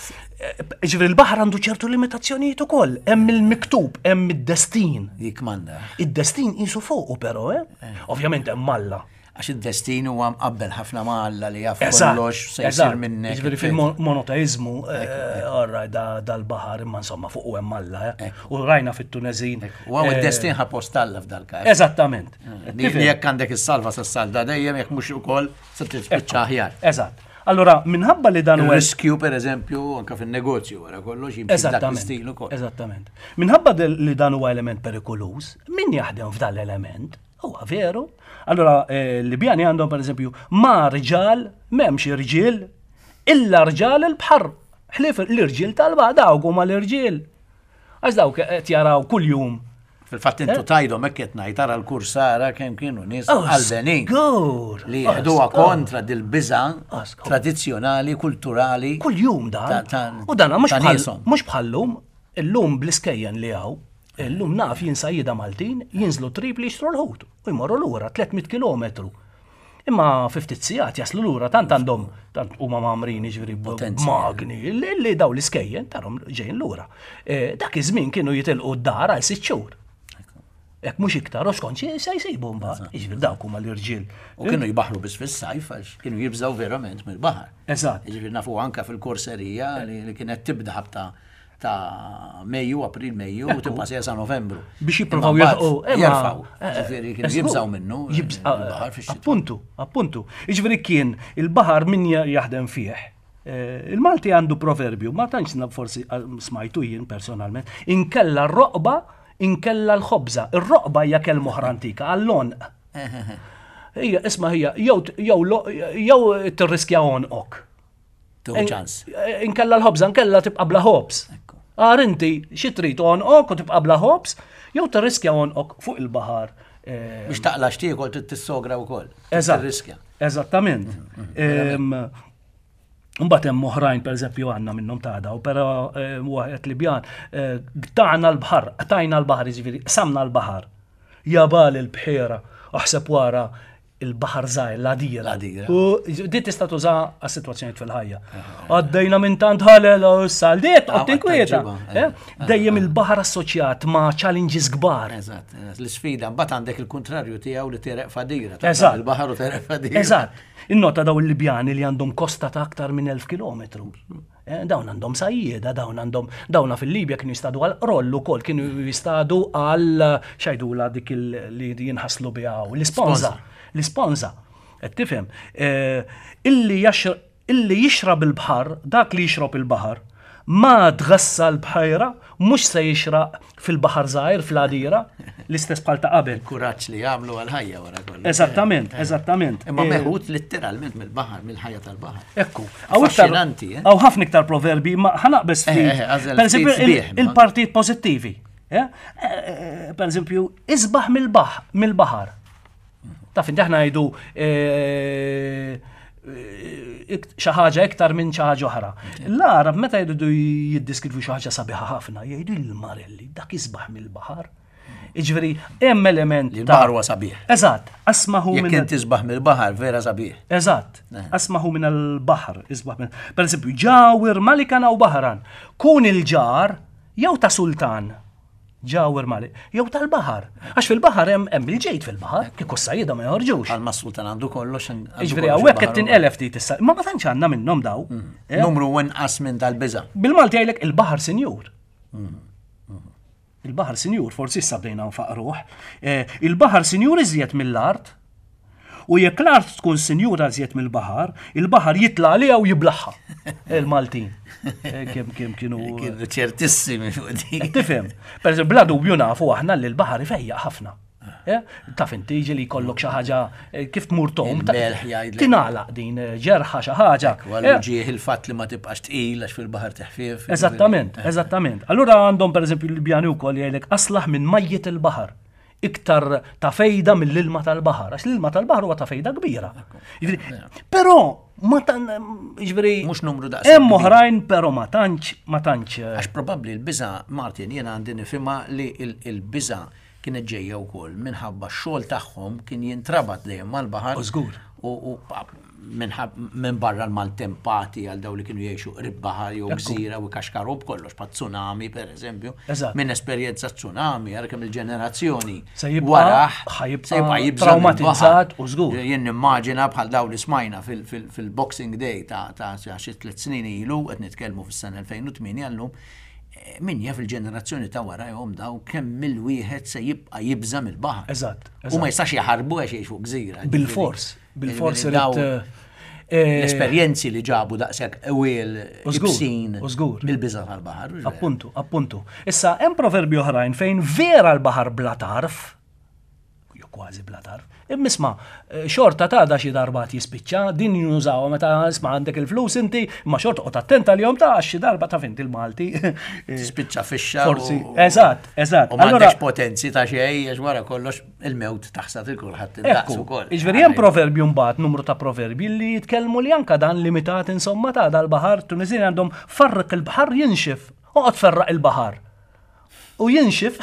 Ġifieri l-baħar għandu ċertu limitazzjonijiet ukoll. Hemm il-miktub, hemm id-destin. Jikmanda. Id-destin qisu fuqu però, eh? eh. Ovvjament hemm Alla. Għax id-destin huwa mqabbel ħafna ma' Alla li jaf kollox se jsir minnek. Ġifieri fil-monoteizmu, eh, orra dal-baħar imma insomma fuq hemm Alla. Eh. U rajna fit-Tunezin. U għaw id-destin ħa post Alla f'dal-każ. Eżattament. Li jekk għandek is-salva se salda dejjem jekk mhux ukoll se tispiċċa aħjar. Eżatt. Allura, minħabba li dan huwa. Riskju, per eżempju, anka fin-negozju wara kollox jimxi dak l-istil ukoll. Eżattament. Minħabba li dan huwa element perikoluż, min jaħdem f'dan l-element Huwa veru. Allura, eh, l-Libjani għandhom per eżempju ma rġal, m'hemmx irġiel, illa rġal il-bħar. Ħlief l-irġiel tal-baħar dawk huma l-irġiel. Għax dawk qed jaraw kuljum. Fil-fatt intu eh? tajdhom hekk qed ngħid tara l-kursara kemm kienu nies oh, qalbenin. Li jieħduha kontra dil-biża tradizzjonali, kulturali. Kuljum dan. U dan mhux bħallum, illum bl-iskejjen li hawn Illum naf jien sajjieda Maltin jinżlu Tripli jixtru l-ħut u jmorru lura 300 kilometru. Imma fi ftit sigħat jaslu lura tant għandhom tant huma mgħammrin jiġifieri b'magni li daw l-iskejjen tarhom ġejjin lura. Eh, dak iż-żmien kienu jitilqu d-dar għal sitt xhur. Jekk mhux iktar, u skont xi se jsibu mbagħad. Jiġifieri dawk huma l-irġiel. U kienu jbaħħru biss fis-sajf għax kienu jibżgħu verament mill-baħar. Eżatt. Jiġifieri nafu anke fil-korserija li kienet tibda ħabta ta' Mejju, April, Mejju, u tibqa' sejja sa' Novembru. Biex jippruvaw jilħqu. Jerfgħu. Eh, Ġifieri kienu jibżgħu minnu. Eh, appuntu, appuntu. Jiġifieri kien il-baħar min jaħdem fih. Eh, il-Malti għandu proverbju, ma tantx forsi smajtu jien personalment, inkella r-roqba, inkella l-ħobża. Ir-roqba hija kelma oħra antika għall-onq. Hija, isma' hija, jew jew tirriskja onqok. Tuħu ċans. Eh, inkella l-ħobza, inkella tibqa' bla ħobż. Għar inti, xi trid onqok u tibqa' bla ħobż, jew tirriskja onqok fuq il-baħar. Eh, Biex taqla xtiekol trid tissogra wkoll. Eżatt. Tirriskja. Eżattament. Mm, mm, mm. Mbagħad hemm oħrajn pereżempju għandna minnhom ta' daw, però eh, wieħed Libjan eh, qtagħna l-baħar, qtajna l-baħar, jiġifieri qsamna l-baħar. Jabal il-bħiera, aħseb wara il-baħar żgħir, l-għadira. L-għadira. U di tista' tuża għas-sitwazzjonijiet fil-ħajja. Għaddejna minn tant ħalel u issa għal diet Ah, qed tinkwieta. tajġiba, Eh? Dejjem il-baħar assoċjat ma' challenges kbar. Eżatt, eżatt. l-sfida, mbagħad għandek il-kontrarju tiegħu li tereq fadira. Eżatt. Il-baħar u tereq fadira. Eżatt. Innota daw il-Libjani li għandhom kosta ta' aktar minn 1000 kilometru. Eh, Dawn għandhom sajjieda, dawn għandhom, dawna fil-Libja kienu jistadu għal roll ukoll, kienu jistadu għal xajdula dik il- li jinħaslu biha u l-isponza. L-isponza. Qed tifhem? Eh, Illi jaxr- illi jixrab il-baħar, dak li jixrob il-baħar, ma tgassa l-bħajra, mhux se jixraq fil-baħar żgħir fl-għadira, l-istess bħal ta' qabel. Kuraġġ li jagħmlu għal-ħajja wara kollox. Eżattament, eżattament. Imma Eh, meħud letteralment mill-baħar, mill-ħajja tal-baħar. Ekku, għaw iktar, Affaxxinanti, eh? għaw ħafna iktar proverbi, ma ħanaqbes Eh, ftit. eh, għażel Per eżempju, ftit sbieħ, il- ma. il-partijiet pozittivi. eh? Eh, eh, Per eżempju, isbaħ mill-baħ, mill-baħar. Taf inti aħna ngħidu eh, eh, ikt- xi ħaġa iktar minn xi ħaġa oħra. L-Arab meta jridu jiddiskrivu xi ħaġa sabiħa ħafna, jgħidu il-marelli, dak isbaħ mill-baħar. Jiġifieri hemm element Li ta' l-baħar huwa sabiħ. Eżatt, asmaħu Jekk minn inti isbaħ mill-baħar, vera sabiħ. Eżatt, asmaħu minn al-baħar, isbaħ minn. Per eżempju, ġawir malikan aw baħran, kun il-ġar jew ta' sultan. Ġawir malik, jew tal-baħar. Għax fil-baħar hemm hemm il-ġejt fil-baħar, kieku s-sajjieda ma joħorġux. Għal ma sultan għandu kollox. għandu Jiġifieri kollox hawnhekk qed il-baħar ukoll. tinqelef ftit issa, imma ma tantx għandna minnhom daw. Eh? Numru inqas minn tal-biża. Bil-Malti jgħidlek il-baħar sinjur. Il-baħar sinjur, forsi issa bdejna nfaqruh. Eh, Il-baħar sinjur iżjed mill-art. U jekk l-art tkun sinjura iżjed mill-baħar, il-baħar jitla' għaliha u jiblaħħa. Il-Maltin. Eh, Kemm kemm kienu. Kienu ċertissimi fuq dik. Tifhem. Per eżempju, bla dubju nafu aħna li l-baħar ifejjaq ħafna. Eh, Taf inti ġieli jkollok xi ħaġa eh, kif tmur tom. ta- Il-melħ jgħidlek. Tingħalaq din eh, ġerħa xi ħaġa. Għallu Eh, ġieħ il-fatt li ma tibqax tqil għax fil-baħar teħfif. Eżattament, eżattament. Allura għandhom per eżempju l-Libjani wkoll jgħidlek aslaħ minn majjiet il-baħar. Iktar ta' fejda mill-ilma tal-baħar, għax l-ilma tal-baħar huwa ta' fejda kbira. Jiġifieri, Però ma tan jiġifieri Mhux numru daqshekk Hemm kbir. oħrajn però ma tantx ma tantx eh, Għax probabbli l-biża, Martin, jiena għandi nifhimha li il-biża kienet ġejja wkoll minħabba x-xogħol tagħhom kien jintrabat dejjem mal-baħar. U żgur. U u pa- minħab- minn barra l-maltempati għal daw li kienu jgħixu qrib baħar jew gżira u kaxkaru b'kollox pa' tsunami per eżempju. Eżatt. Minn esperjenza tsunami, għara kemm il-ġenerazzjoni Se jibqa' waraħ ħajibqa' se jibqa' jibża' traumatizzat mill-baħar. u żgur. Jien nimmaġina bħal daw li smajna fil- fil- fil-Boxing Day ta' ta' xi tliet snin ilu, qed nitkellmu fis-sena 2008 għallum, eh, min jaf il-ġenerazzjoni ta' warajhom daw kemm mill-wieħed se jibqa' jibża' mill-baħar. Eżatt, U ma eżatt. jistax jaħarbu għax jgħixu gżira. Bil-fors, bil-fors Jiġifieri irid daw eh, L-esperjenzi li ġabu daqshekk ewwel U żgur, ibsin u żgur. mill-biża' tal-baħar. mhux vera? Appuntu, appuntu. Issa hemm proverbji oħrajn fejn vera l-baħar bla tarf, jew kważi bla tarf, imma isma' eh, xorta ta' da xi darba jispiċċa, din jużawha meta isma' għandek il-flus inti, imma xorta qgħod attenta li jom ta' għax xi darba taf inti l-Malti. Eh, Tispiċċa fixxa. Forsi, u- eżatt, eżatt. U m'għandekx potenzi ta' xejn għax wara kollox il-mewt taħsad il-kulħadd indaqs Ekku, ukoll. iġveri hemm proverbju mbagħad numru ta' proverbi li jitkellmu li anka dan limitat insomma ta' dal-baħar Tunisini għandhom farriq il-baħar jinxif. Oqgħod ferraq il-baħar. U jinxif,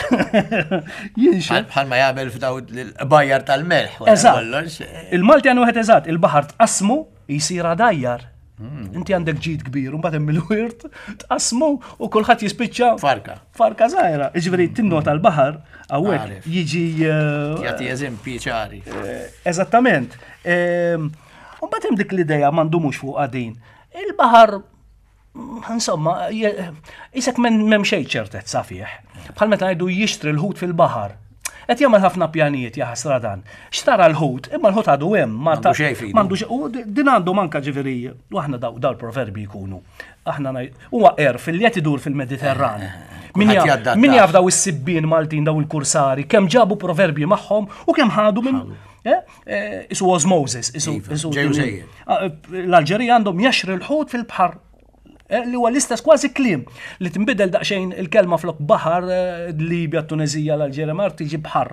jinxif. Bħal ma jagħmel f'daw l-bajjar tal-melħ. wara Eżatt. kollox. Il-Malti għandu wieħed eżatt, il-baħar tqasmu jisir għadajjar. Inti għandek ġid kbir, mbagħad hemm il-wirt, tqasmu u kulħadd jispiċċa Farka. Farka żgħira. Jiġifieri tinnota l-baħar hawnhekk Għaref. jiġi eh, Jagħti eżempji ċari. Eżattament. Ehm, U mbagħad hemm dik l-idea m'għandhomux fuq din. Il-baħar mm, insomma, je- isek m'hemm xejn ċertezza fih. Bħal meta ngħidu jixtri l-ħut fil-baħar. Qed jagħmel ħafna pjanijiet jaħasra dan. Xtara l-ħut, imma l-ħut għadu hemm, ma M'għandu xejn f'idu. M'għandu xejn. U di- din għandhom anka ġifieri, u aħna daw daw l-proverbi jkunu. Aħna ngħid huwa għerf li qed idur fil-Mediterran. Min Kulħadd jaf- jaddattax. Min jaf daw is-sibbien Maltin daw il-kursari, kemm ġabu proverbji magħhom u kemm ħadu minn eh, eh, Isu osmosis, isu Iva, isu ġew sejjer. Ah, L-Alġerija għandhom jaxri l-ħut fil-bħar eh, li huwa l-istess kważi kliem li tinbidel daqsxejn il-kelma flok baħar eh, Libja, Tunezija, l-Alġerija, mar tiġi bħar.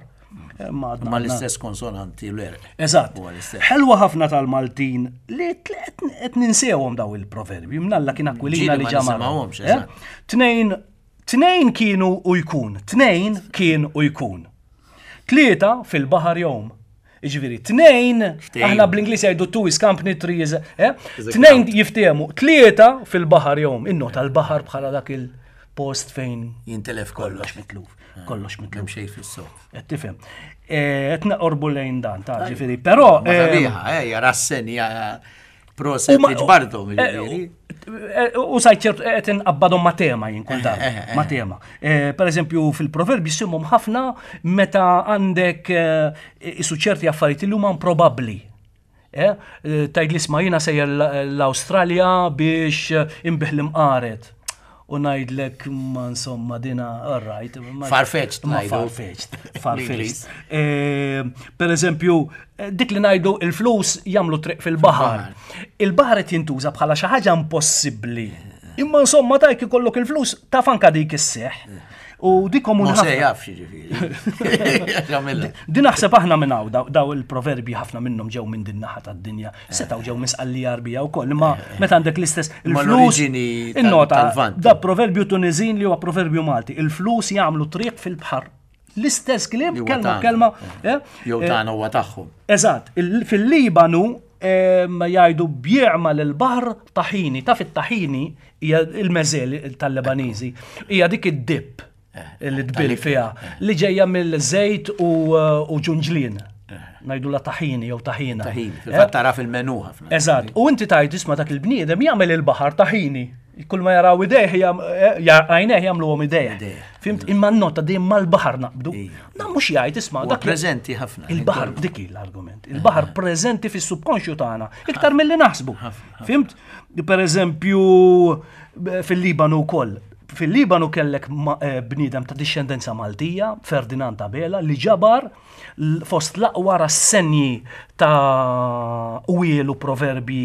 Ma l-istess konsonanti l-erq. Eżatt. Ħelwa ħafna tal-Maltin li qed ninsewhom daw il-proverbji. Mnalla kien Aquilina li ġamar. Eh? Tnejn tnejn kienu u jkun. Tnejn kien u jkun. Tlieta fil-baħar jom. Ġifieri, tnejn, aħna bl-Ingliż jgħidu two is company, three is, eh? Tnejn jiftehmu, tlieta fil-baħar jom. Innota l-baħar bħala dak il-post fejn jintelef kollox mitluf. Eh, Kollox mitluf. Xejn fis-sof. Qed tifhem. Eh, qed naqorbu lejn dan ta' ġifieri, però. Sabiħa, eh, rassen, proset li ġbartom, ġifieri. U sajt ċert qed inqabbadhom ma' tema jien kull darba, ma' tema. Per eżempju fil-proverbi simhom ħafna meta għandek isu ċerti affarijiet li huma improbabbli. Tgħid li isma' jiena sejjer l-Awstralja biex inbih l-imqaret. U ngħidlek ma insomma dina all right. Farfetched. Ma farfetched. Farfetched. Per eżempju, dik li ngħidu il-flus jagħmlu triq fil-baħar. Il-baħar qed jintuża bħala xi ħaġa impossibbli. Imma insomma tajk ikollok il-flus taf anka dik isseħ. U dik komuni. Ma se jaf ġifieri. Din naħseb aħna minn hawn daw il-proverbji ħafna minnhom ġew minn din naħa tad-dinja. Setgħu ġew minn Sqallija Għarbija wkoll, imma meta għandek l-istess il-flus. Innota, da proverbju Tuniżin li huwa proverbju Malti, il-flus jagħmlu triq fil-bħar. L-istess kliem, kelma kelma. Eh? Jew eh, tagħna huwa tagħhom. Eżatt, fil-Libanu jgħidu bje'mal il-baħar taħini, taf it-taħini hija il-meżel tal-Lebaniżi, hija dik id-dip eh, li tbil fiha li ġejja mill-żejt u ġunġlien. Eh. Ngħidu la taħini jew taħina. Taħini, fil-fatt tara fil-menu ħafna. Eżatt, u inti tgħid isma' dak il-bniedem jagħmel il-baħar taħini. Kull ma jaraw idejh għajnejh jagħmluhom idejh. Fimt imma n-nota dejjem mal-baħar naqbdu. Dan mhux jgħid isma' dak preżenti ħafna. Il-baħar dik l-argument. Il-baħar preżenti fis-subkonxju tagħna iktar milli naħsbu. Fimt? Per eżempju fil-Libanu wkoll. Fil-Libanu kellek eh, bniedem ta' dixxendenza Maltija, Ferdinand Abela, li ġabar fost l-aqwa rassenji ta' wielu proverbi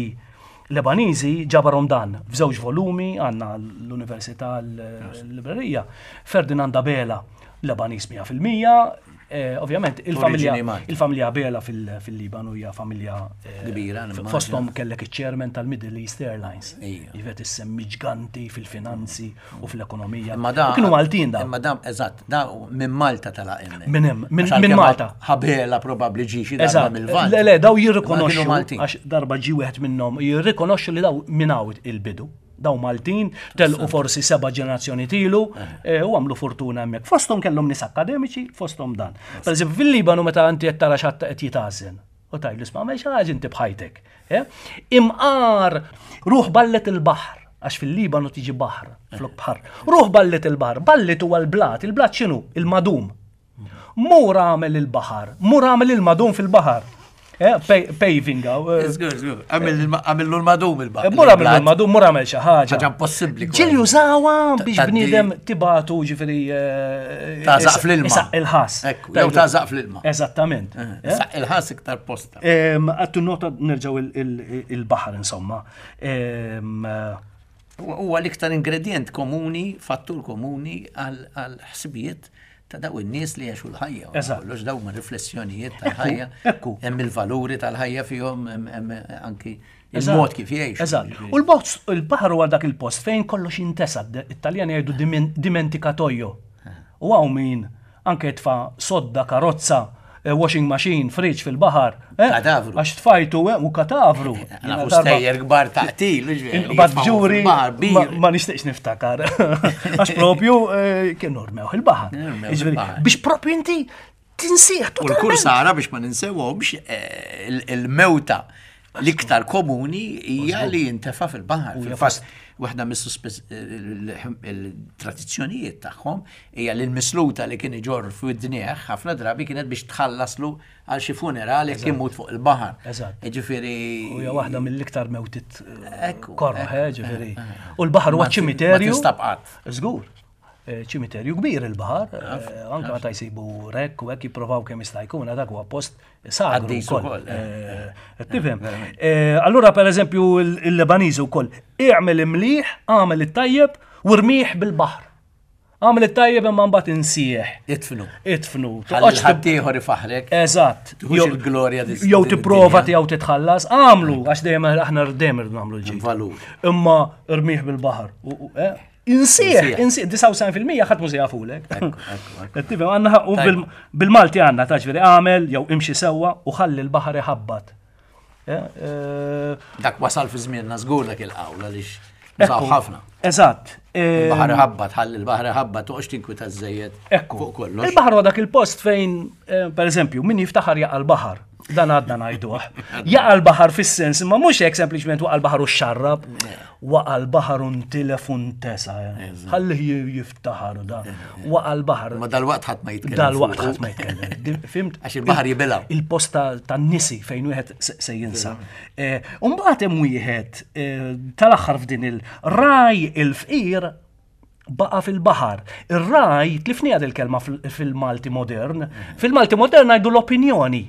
Lebaniżi ġabarhom dan f'żewġ volumi għandna l-Università l-Librerija. Ferdinand Abela, Lebaniż 100%, eh, ovvjament il-familja il-familja Abela fil-Libanu hija familja eh, kbira. Fosthom kellek iċ-chairman tal-Middle East Airlines. Jivet issemmi ġganti fil-finanzi u fl-ekonomija. Imma da. Kienu Maltin da. Imma da, eżatt, da minn Malta tala hemm. Minn hemm, minn Malta. Ħabela probabbli ġi xi darba mill-Lvant. Le, le, daw jirrikonoxxu. Għax darba ġi wieħed minnhom jirrikonoxxu li daw minn hawn il-bidu. Daw Maltin, telqu forsi seba' ġenerazzjoni tilu eh, u għamlu fortuna hemmhekk. Fosthom kellhom nies akademiċi, fosthom dan. Per eżempju, fil-Libanu meta inti qed tara xatt qed jitgħażen. U tgħidlu isma' għamel xi ħaġa inti b'ħajtek. Eh? Imqar ruħ ballet il-baħar, għax fil-Libanu tiġi baħar, flok baħar. Ruħ ballet il-baħar, ballet huwa l-blat, il-blat x'inhu? Il-madum. Mur għamel il-baħar, mur għamel il-madum fil-baħar. Eh, paving għaw. Eh. Għamillu l-madum il-baħar. Eh, mur għamillu l-madum, mur għamel xi ħaġa. Ħaġa impossibbli. Ġil jużawa biex bniedem tibatu ġifieri. Ta' zaq fl-ilma. Il-ħas. Jew ta' zaq fl-ilma. Eżattament. Saq il-ħas iktar posta. Għattu nota nerġaw il-baħar insomma. Huwa l-iktar ingredient komuni, fattur komuni għal ħsibijiet ta' daw in-nies li għexu l-ħajja. Eżatt. Kollox daw ma' riflessjonijiet tal-ħajja. Ekku. Hemm il-valuri tal-ħajja fihom, hemm anki il-mod kif jgħixu. Eżatt. U l-box, il-baħar huwa dak il-post fejn kollox jintesa. It-Taljani jgħidu dimenticatoio. U hawn min anke jitfa' sodda, karozza, eh, washing machine, fridge fil-baħar. Eh, katavru. Għax tfajtu eh, u katavru. Nafu stejjer kbar ta' qtil. Bad ġuri, ma nixtieqx niftakar. Għax propju kienu rmew il-baħar. Biex propju inti tinsieħ. U l-kursara biex ma ninsewhomx il-mewta l-iktar komuni hija li jintefa' fil-baħar. Fil-fatt, waħda mis-tradizzjonijiet tagħhom hija li l-misluta li kien iġorr f'widnieh ħafna drabi kienet biex tħallaslu għal xi funeral jekk imut fuq il-baħar. Eżatt. Ġifieri. U hija waħda mill-iktar mewtiet korroħ, eh, ġifieri. U l-baħar huwa ċimiterju. Ma tinstab qatt. Żgur. Ċimiterju kbir il-baħar, anke meta jsibu rekk u hekk jipprovaw kemm jista' jkun, dak huwa post sagru wkoll. Eh, eh, tifhem? Eh, allura pereżempju il-Lebaniżi wkoll, i'mel imliħ, għamel it-tajjeb u rmih bil-baħar. Għamel it-tajjeb imma mbagħad insieħ. Itfnu. Itfnu. Toqgħodx ħaddieħor ifaħrek. Eżatt. Jew il-glorja Jew tipprova tiegħu titħallas, għamlu għax dejjem aħna dejjem irdu nagħmlu l-ġid. Valur. Imma rmih bil-baħar. Eh? Insieħ, insieħ, 99% ħadd mhu se jafulek. Tifhem għandna u bil-Malti għandna ta' ġifieri għamel jew imxi sewwa u ħalli l-baħar iħabbat. Eh, eh, dak wasal fi żmienna żgur dak il-qawl għaliex użaw ħafna. Eżatt. Il-baħar ħabbat, ħalli l-baħar ħabbat, toqgħodx tinkwita żejjed. Ekku. Fuq kollox. Il-baħar huwa dak il-post fejn, eh, per eżempju, min jiftaħar jaqa' l-baħar. Dan għadna ngħiduh. Jaqa' l-baħar fis-sens, imma mhux hekk sempliċement waqa' l-baħar u xarrab. Waqa' l-baħar u ntilef u ntesa. Ħallih jiftaħar da. Waqa' l-baħar. Ma dal-waqt ħadd ma jitkellem. Dal-waqt ħadd ma jitkellem. Fimt? Għax il-baħar jibilgħu. Il-post tan-nisi fejn wieħed se jinsa. Eh, u mbagħad hemm wieħed eh, tal-aħħar f'din il-raj il-fqir baqa fil-baħar. Ir-raj, tlifni għad il-kelma fil-Malti modern, fil-Malti modern għajdu l-opinjoni.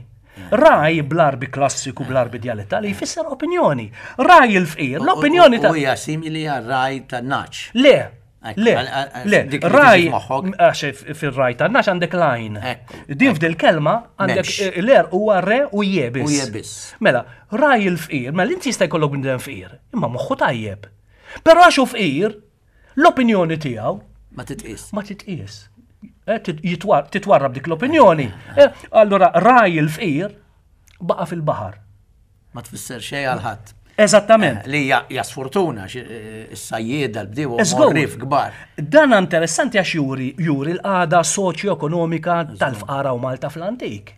Raj bl-arbi klassiku, bl-arbi dialettali, jfisser opinjoni. Raj il-fqir, l-opinjoni ta' Hija simili għal raj ta' naċ. Le, le, le, raj, għax fil-raj ta' naċ għandek lajn. Din f'dil kelma għandek l-er huwa re u jebis. U jebis. Mela, raj il-fqir, mela inti jista' jkollok bniedem fqir, imma moħħu tajjeb. Però għax hu fqir, L-opinjoni tiegħu ma titqies. Ma titqies. Eh, titwarrab dik l-opinjoni. Eh, allura raj il-fqir baqa' fil-baħar. Ma tfisser xejn għal ħadd. Eżattament. Eh, li hija sfortuna is-sajjieda l-bdiewa rif kbar. Dan interessanti għax juri juri l-qagħda soċjo-ekonomika tal-fqara u Malta fl-antik.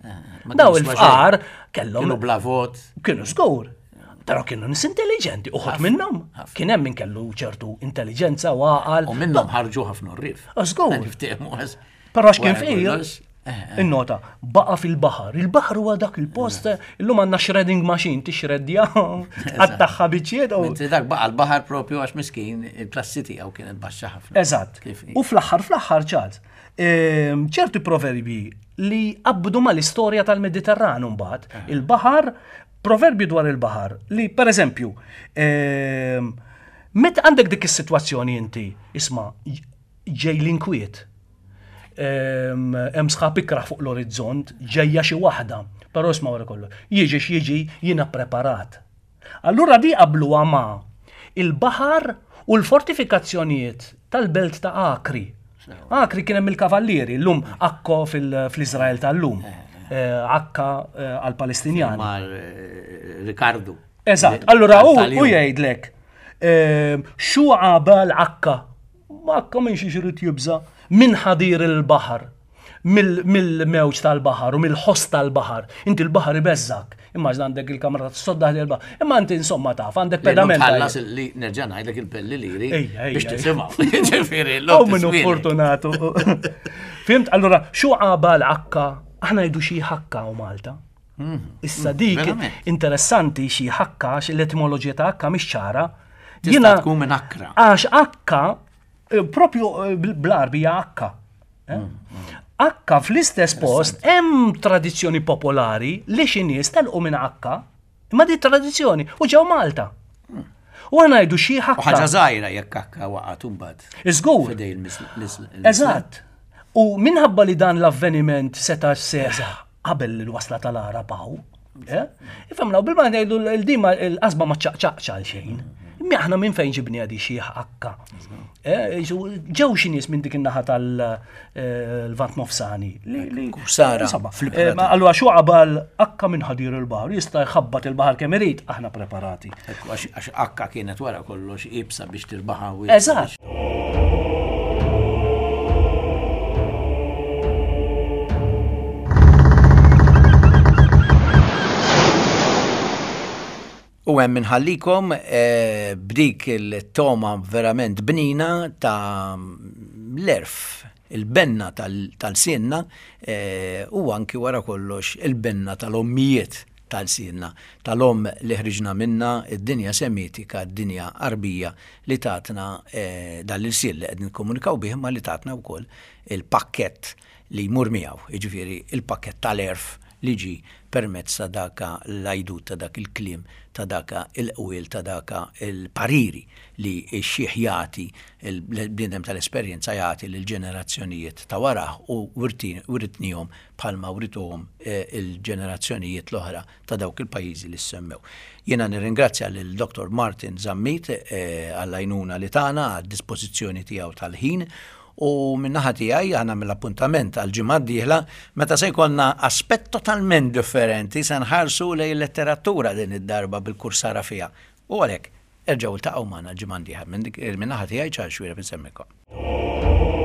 Daw il-fqar kellhom. Kienu bla vot. Kienu żgur. Però kienu nis intelligenti, uħut minnhom. Kien hemm min kellu ċertu intelligenza u għaqal. U minnhom ħarġu ħafna rrif. Żgur. Però x'kien fqir, eh, eh. Innota, baqa fil-baħar. Il-baħar huwa dak il-post, illum għandna shredding machine tixreddja, għattaħħa biċċiet. Mentri dak baqa l-baħar propju għax miskin il-klassi tiegħu kienet baxxa ħafna. Eżatt. U fl-aħħar fl-aħħar Charles, ehm, ċerti proverbi li qabdu mal-istorja tal-Mediterran mbagħad, eh. il-baħar Proverbju dwar il-baħar li, per eżempju, ehm, meta għandek dik is-sitwazzjoni inti, isma' ġej l-inkwiet, ehm, hemm sħab ikrah fuq l-orizzont, ġejja xi waħda, però isma' wara kollu, jiġi x'jiġi jiena preparat. Allura di qabluha ma' il-baħar u l-fortifikazzjonijiet tal-belt ta' Akri. Akri kien hemm il-kavallieri, llum Akko fl-Iżrael tal-lum. Eh, eh, Akka eh, għal-Palestinjani. Mar Ricardo. Eżatt, allura u jgħidlek xu għabal Akka. Akka minn xi xrid jibża' minn ħadir il-baħar. mill-mewġ tal-baħar u mill-ħoss tal-baħar. Inti l-baħar ibeżżak. Immaġna għandek il-kamra tas-sodda ħdejn il-baħar. Imma inti insomma taf, għandek pedament. Tħallas li nerġa' ngħidlek il-pelli liri biex tisimgħu. Ġifieri, l minnu fortunatu. Fimt? Allura, xu għaba l-akka? Aħna ngħidu xi ħakka u Malta. Mhm. Issa dik interessanti xi ħakka għax l-etimoloġija ta' akka mhix ċara. Jiena tkun minn akkra. Għax akka eh, propju eh, bl-arbi hija akka. Eh? Mm, mm. Akka fl-istess post hemm tradizzjoni popolari li xi nies telqu minn Akka, imma di tradizzjoni u ġew Malta. Mm. U għana jgħidu xi ħakka. Ħaġa żgħira jekk akka waqgħet imbagħad. Iżgur. Eżatt. U minħabba li dan l-avveniment seta' seħ qabel l-wasla tal-Arab hawn, eh? Ifhem law bil-ma ngħidu l-dima l-qasba ma ċaqċaqx għal xejn. Imma aħna minn fejn ġibni għadi xi akka. Eh, ġew xi nies minn dik in-naħa tal-Vant eh, Nofsani. Sara. Allura xu qabal akka minn ħadir il-baħar, jista' jħabbat il-baħar kemm irid, aħna preparati. Għax akka kienet wara kollox ibsa biex tirbaħa. Eżatt. U hemm inħallikom eh, b'dik il-toma verament bnina ta' l-erf, il-benna tal-sinna eh, u anki wara kollox il-benna tal-ommijiet tal-sinna, tal-om li ħriġna minna id-dinja semitika, id-dinja arbija li tatna eh, dan l-ilsien li qed nikkomunikaw bih ma li tatna wkoll il-pakkett li jmur miegħu, jiġifieri il-pakkett tal-erf. li ġie permezz ta' daka l-għajdut, ta' dak il-kliem, ta' daka il-qwiel, ta' daka il-pariri li x-xiħ jagħti, il-bniedem tal-esperjenza jagħti lill-ġenerazzjonijiet ta' warah u writnihom bħalma writuhom il-ġenerazzjonijiet l-oħra ta' dawk il-pajjiżi li ssemmew. Jiena nirringrazzja lil Dottor Martin Zammit għall-għajnuna li tana, għad-dispożizzjoni tiegħu tal-ħin u min-naħa tiegħi aħna nagħmel appuntament għall-ġimgħa d-dieħla meta se jkollna aspett totalment differenti se nħarsu lejn il-letteratura din id-darba bil-kursara fiha. U għalhekk, erġgħu iltaqgħu magħna l-ġimgħa d-dieħla. Min-naħa tiegħi Charles Xuereb insemmikom.